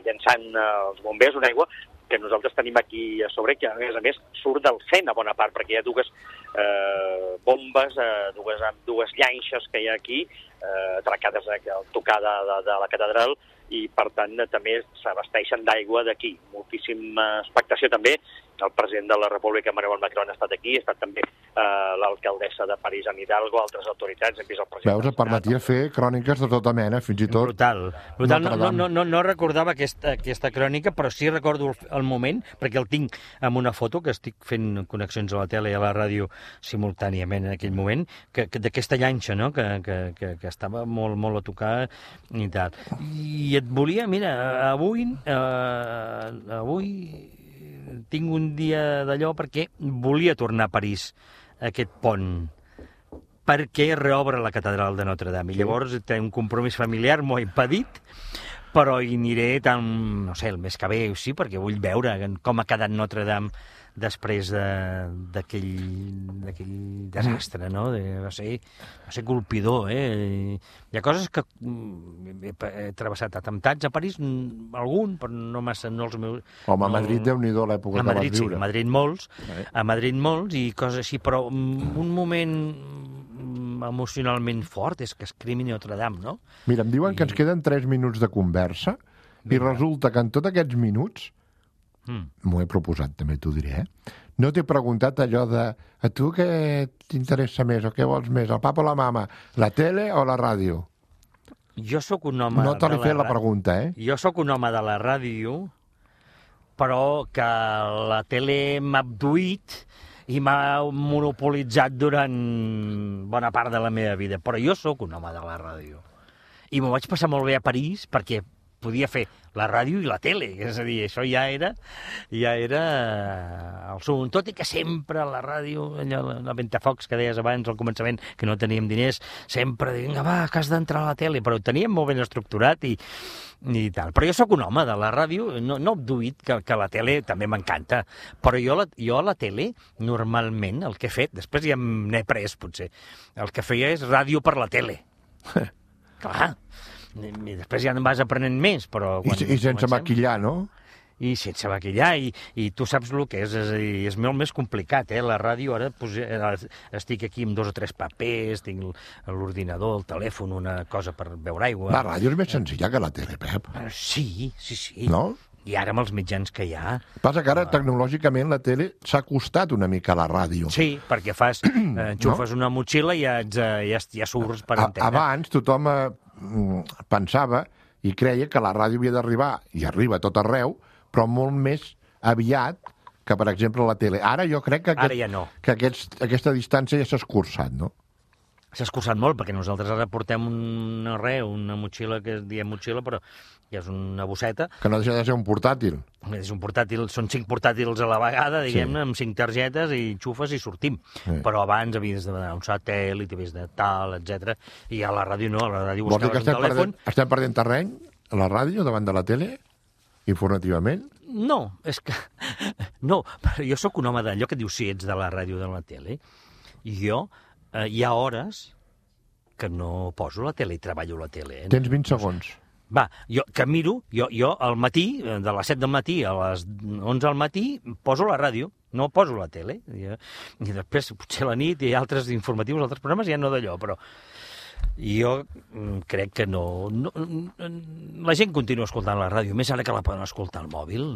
llançant els bombers, una aigua que nosaltres tenim aquí a sobre, que a més surt del Sena bona part, perquè hi ha dues bombes, dues llanxes que hi ha aquí, atracades al tocar de la catedral, i per tant també s'abasteixen d'aigua d'aquí. Moltíssima expectació també. El president de la República, Emmanuel Macron, ha estat aquí, ha estat també l'alcaldessa de París, Anne Hidalgo, altres autoritats, hem vist el president... Veus, et permetia fer cròniques de tota mena, fins i tot... Brutal. No recordava aquesta crònica, però sí recordo el moment, perquè el tinc amb una foto, que estic fent connexions a la tele i a la ràdio simultàniament en aquell moment, d'aquesta llanxa, no?, que estava molt a tocar i tal. I et volia, mira, avui tinc un dia d'allò perquè volia tornar a París, aquest pont, perquè reobre la catedral de Notre Dame. I llavors té un compromís familiar, m'ho ha impedit, però hi aniré no sé, el mes que ve, sí, perquè vull veure com ha quedat Notre Dame després d'aquell desastre, no? Va ser colpidor, Hi ha coses que he travessat atemptats a París, algun, però no massa, no els meus... Home, a Madrid, Déu-n'hi-do, l'època que vas viure. Sí, a Madrid molts, i coses així, però un moment emocionalment fort és que es cremi Notre Dame, no? Mira, em diuen que ens queden 3 minuts de conversa, i resulta que en tots aquests minuts m'ho he proposat, també t'ho diré, no t'he preguntat allò de a tu què t'interessa més o què vols més, el papa o la mama, la tele o la ràdio? Jo sóc un home... No te l'he fet la pregunta, Jo sóc un home de la ràdio, però que la tele m'ha abduït i m'ha monopolitzat durant bona part de la meva vida. Però jo sóc un home de la ràdio. I m'ho vaig passar molt bé a París perquè podia fer la ràdio i la tele, és a dir, això ja era el sum. Tot i que sempre a la ràdio, allò, la ventafocs que deies abans al començament, que no teníem diners, sempre vinga, va, que has d'entrar a la tele, però ho teníem molt ben estructurat i tal. Però jo sóc un home de la ràdio, no he obduït que la tele també m'encanta, però jo a la tele, normalment, el que he fet, després ja n'he pres, potser, el que feia és ràdio per la tele. Clar, i després ja en vas aprenent més, però... I sense maquillar, no? I sense maquillar, i tu saps el que és a dir, és molt més complicat, La ràdio, ara estic aquí amb 2 o 3 papers, tinc l'ordinador, el telèfon, una cosa per beure aigua... La ràdio és més senzilla que la tele, Pep. Sí. No? I ara amb els mitjans que hi ha... Passa que ara, tecnològicament, la tele s'ha acostat una mica a la ràdio. Sí, perquè enxufes una motxilla i ja surts per antena. Abans tothom pensava i creia que la ràdio havia d'arribar, i arriba a tot arreu, però molt més aviat que, per exemple, la tele. Ara jo crec que, ara ja no. Que aquesta distància ja s'ha escurçat, no? S'ha escurçat molt, perquè nosaltres ara portem una motxilla, que diem motxilla, però ja és una bosseta. Que no deixa de ser un portàtil. És un portàtil, són 5 portàtils a la vegada, diguem-ne, amb 5 targetes, i xufes i sortim. Sí. Però abans havies de donar un satèl·lit, havies de tal, etc. I a la ràdio no, a la ràdio buscaves un telèfon... Estem perdent terreny a la ràdio davant de la tele, informativament? No, és que... No, jo sóc un home d'allò que diu si ets de la ràdio o de la tele, i jo... hi ha hores que no poso la tele i treballo la tele. Tens 20 segons. Va, jo que miro, jo al matí, de les 7 del matí a les 11 del matí, poso la ràdio, no poso la tele. I després, potser a la nit, hi ha altres informatius, altres programes, ja no d'allò, però jo crec que no... La gent continua escoltant la ràdio, més ara que la poden escoltar al mòbil,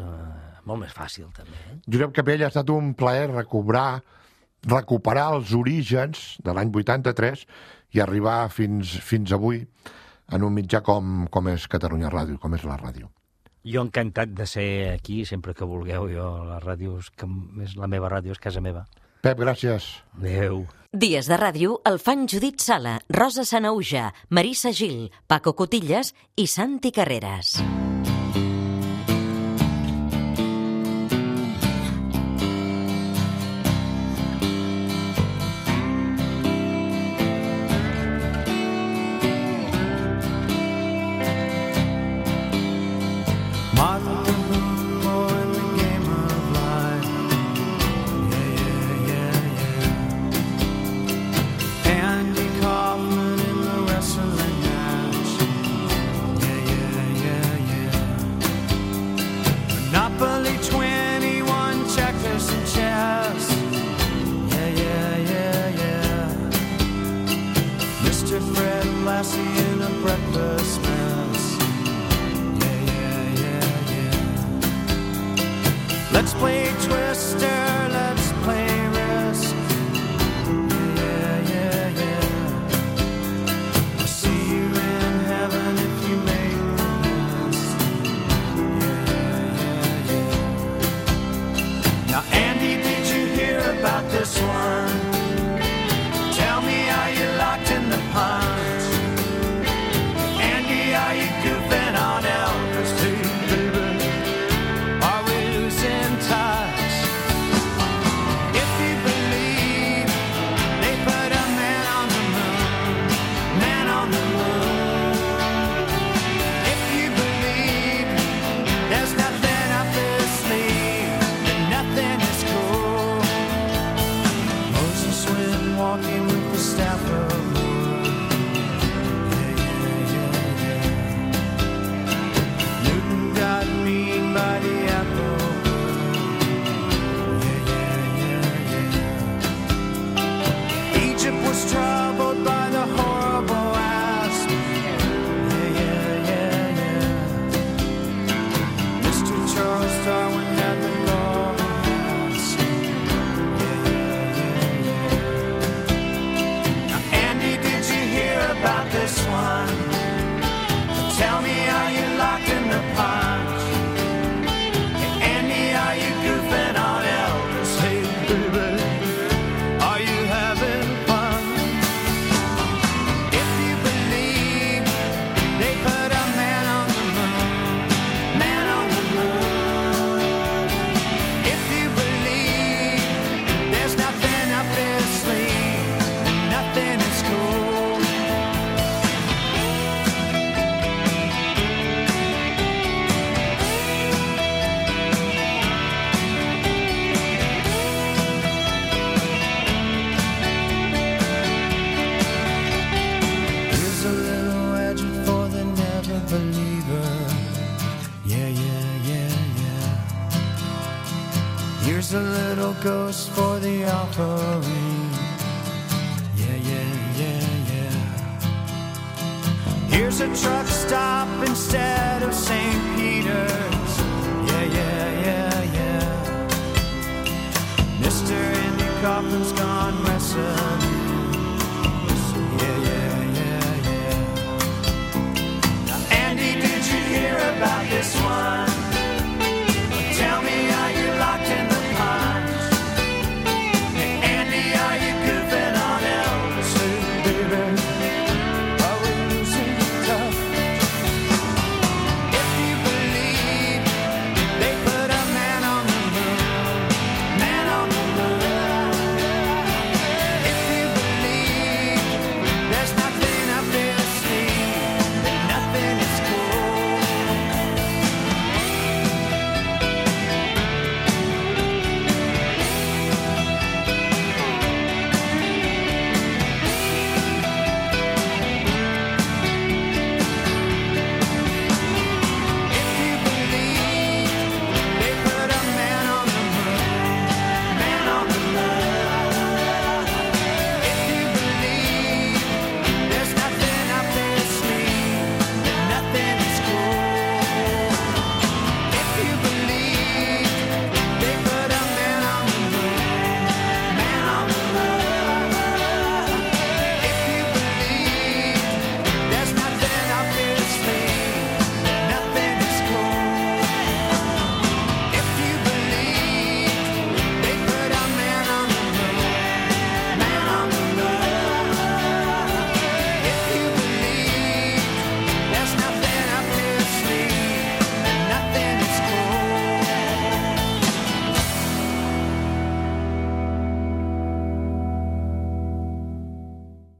molt més fàcil, també. Josep Capell, ha estat un plaer recuperar els orígens de l'any 83 i arribar fins avui en un mitjà com és Catalunya Ràdio, com és la ràdio. Jo encantat de ser aquí, sempre que vulgueu. Jo, la ràdio, la meva ràdio és casa meva. Pep, gràcies. Adéu. Dies de ràdio el fan Judit Sala, Rosa Sanauja, Marissa Gil, Paco Cotillas i Santi Carreras. Let's play Twister, let's play Risk. I'll see you in heaven if you make the list. Now, Andy, did you hear about this one? Tell me, are you locked in the punch? Andy, are you goofing on Elvis too? Troubled by the horrible asp. Mr. Charles Darwin had the golden mask. Now, Andy, did you hear about this one? Tell me, are you locked in the punch? Hey, Andy, are you goofing on Elvis? Hey, baby. Here's a little ghost for the offering. Yeah, yeah, yeah, yeah. Here's a truck stop instead of St. Peter's. Yeah, yeah, yeah, yeah. Mr. Andy Kaufman's gone wrestling.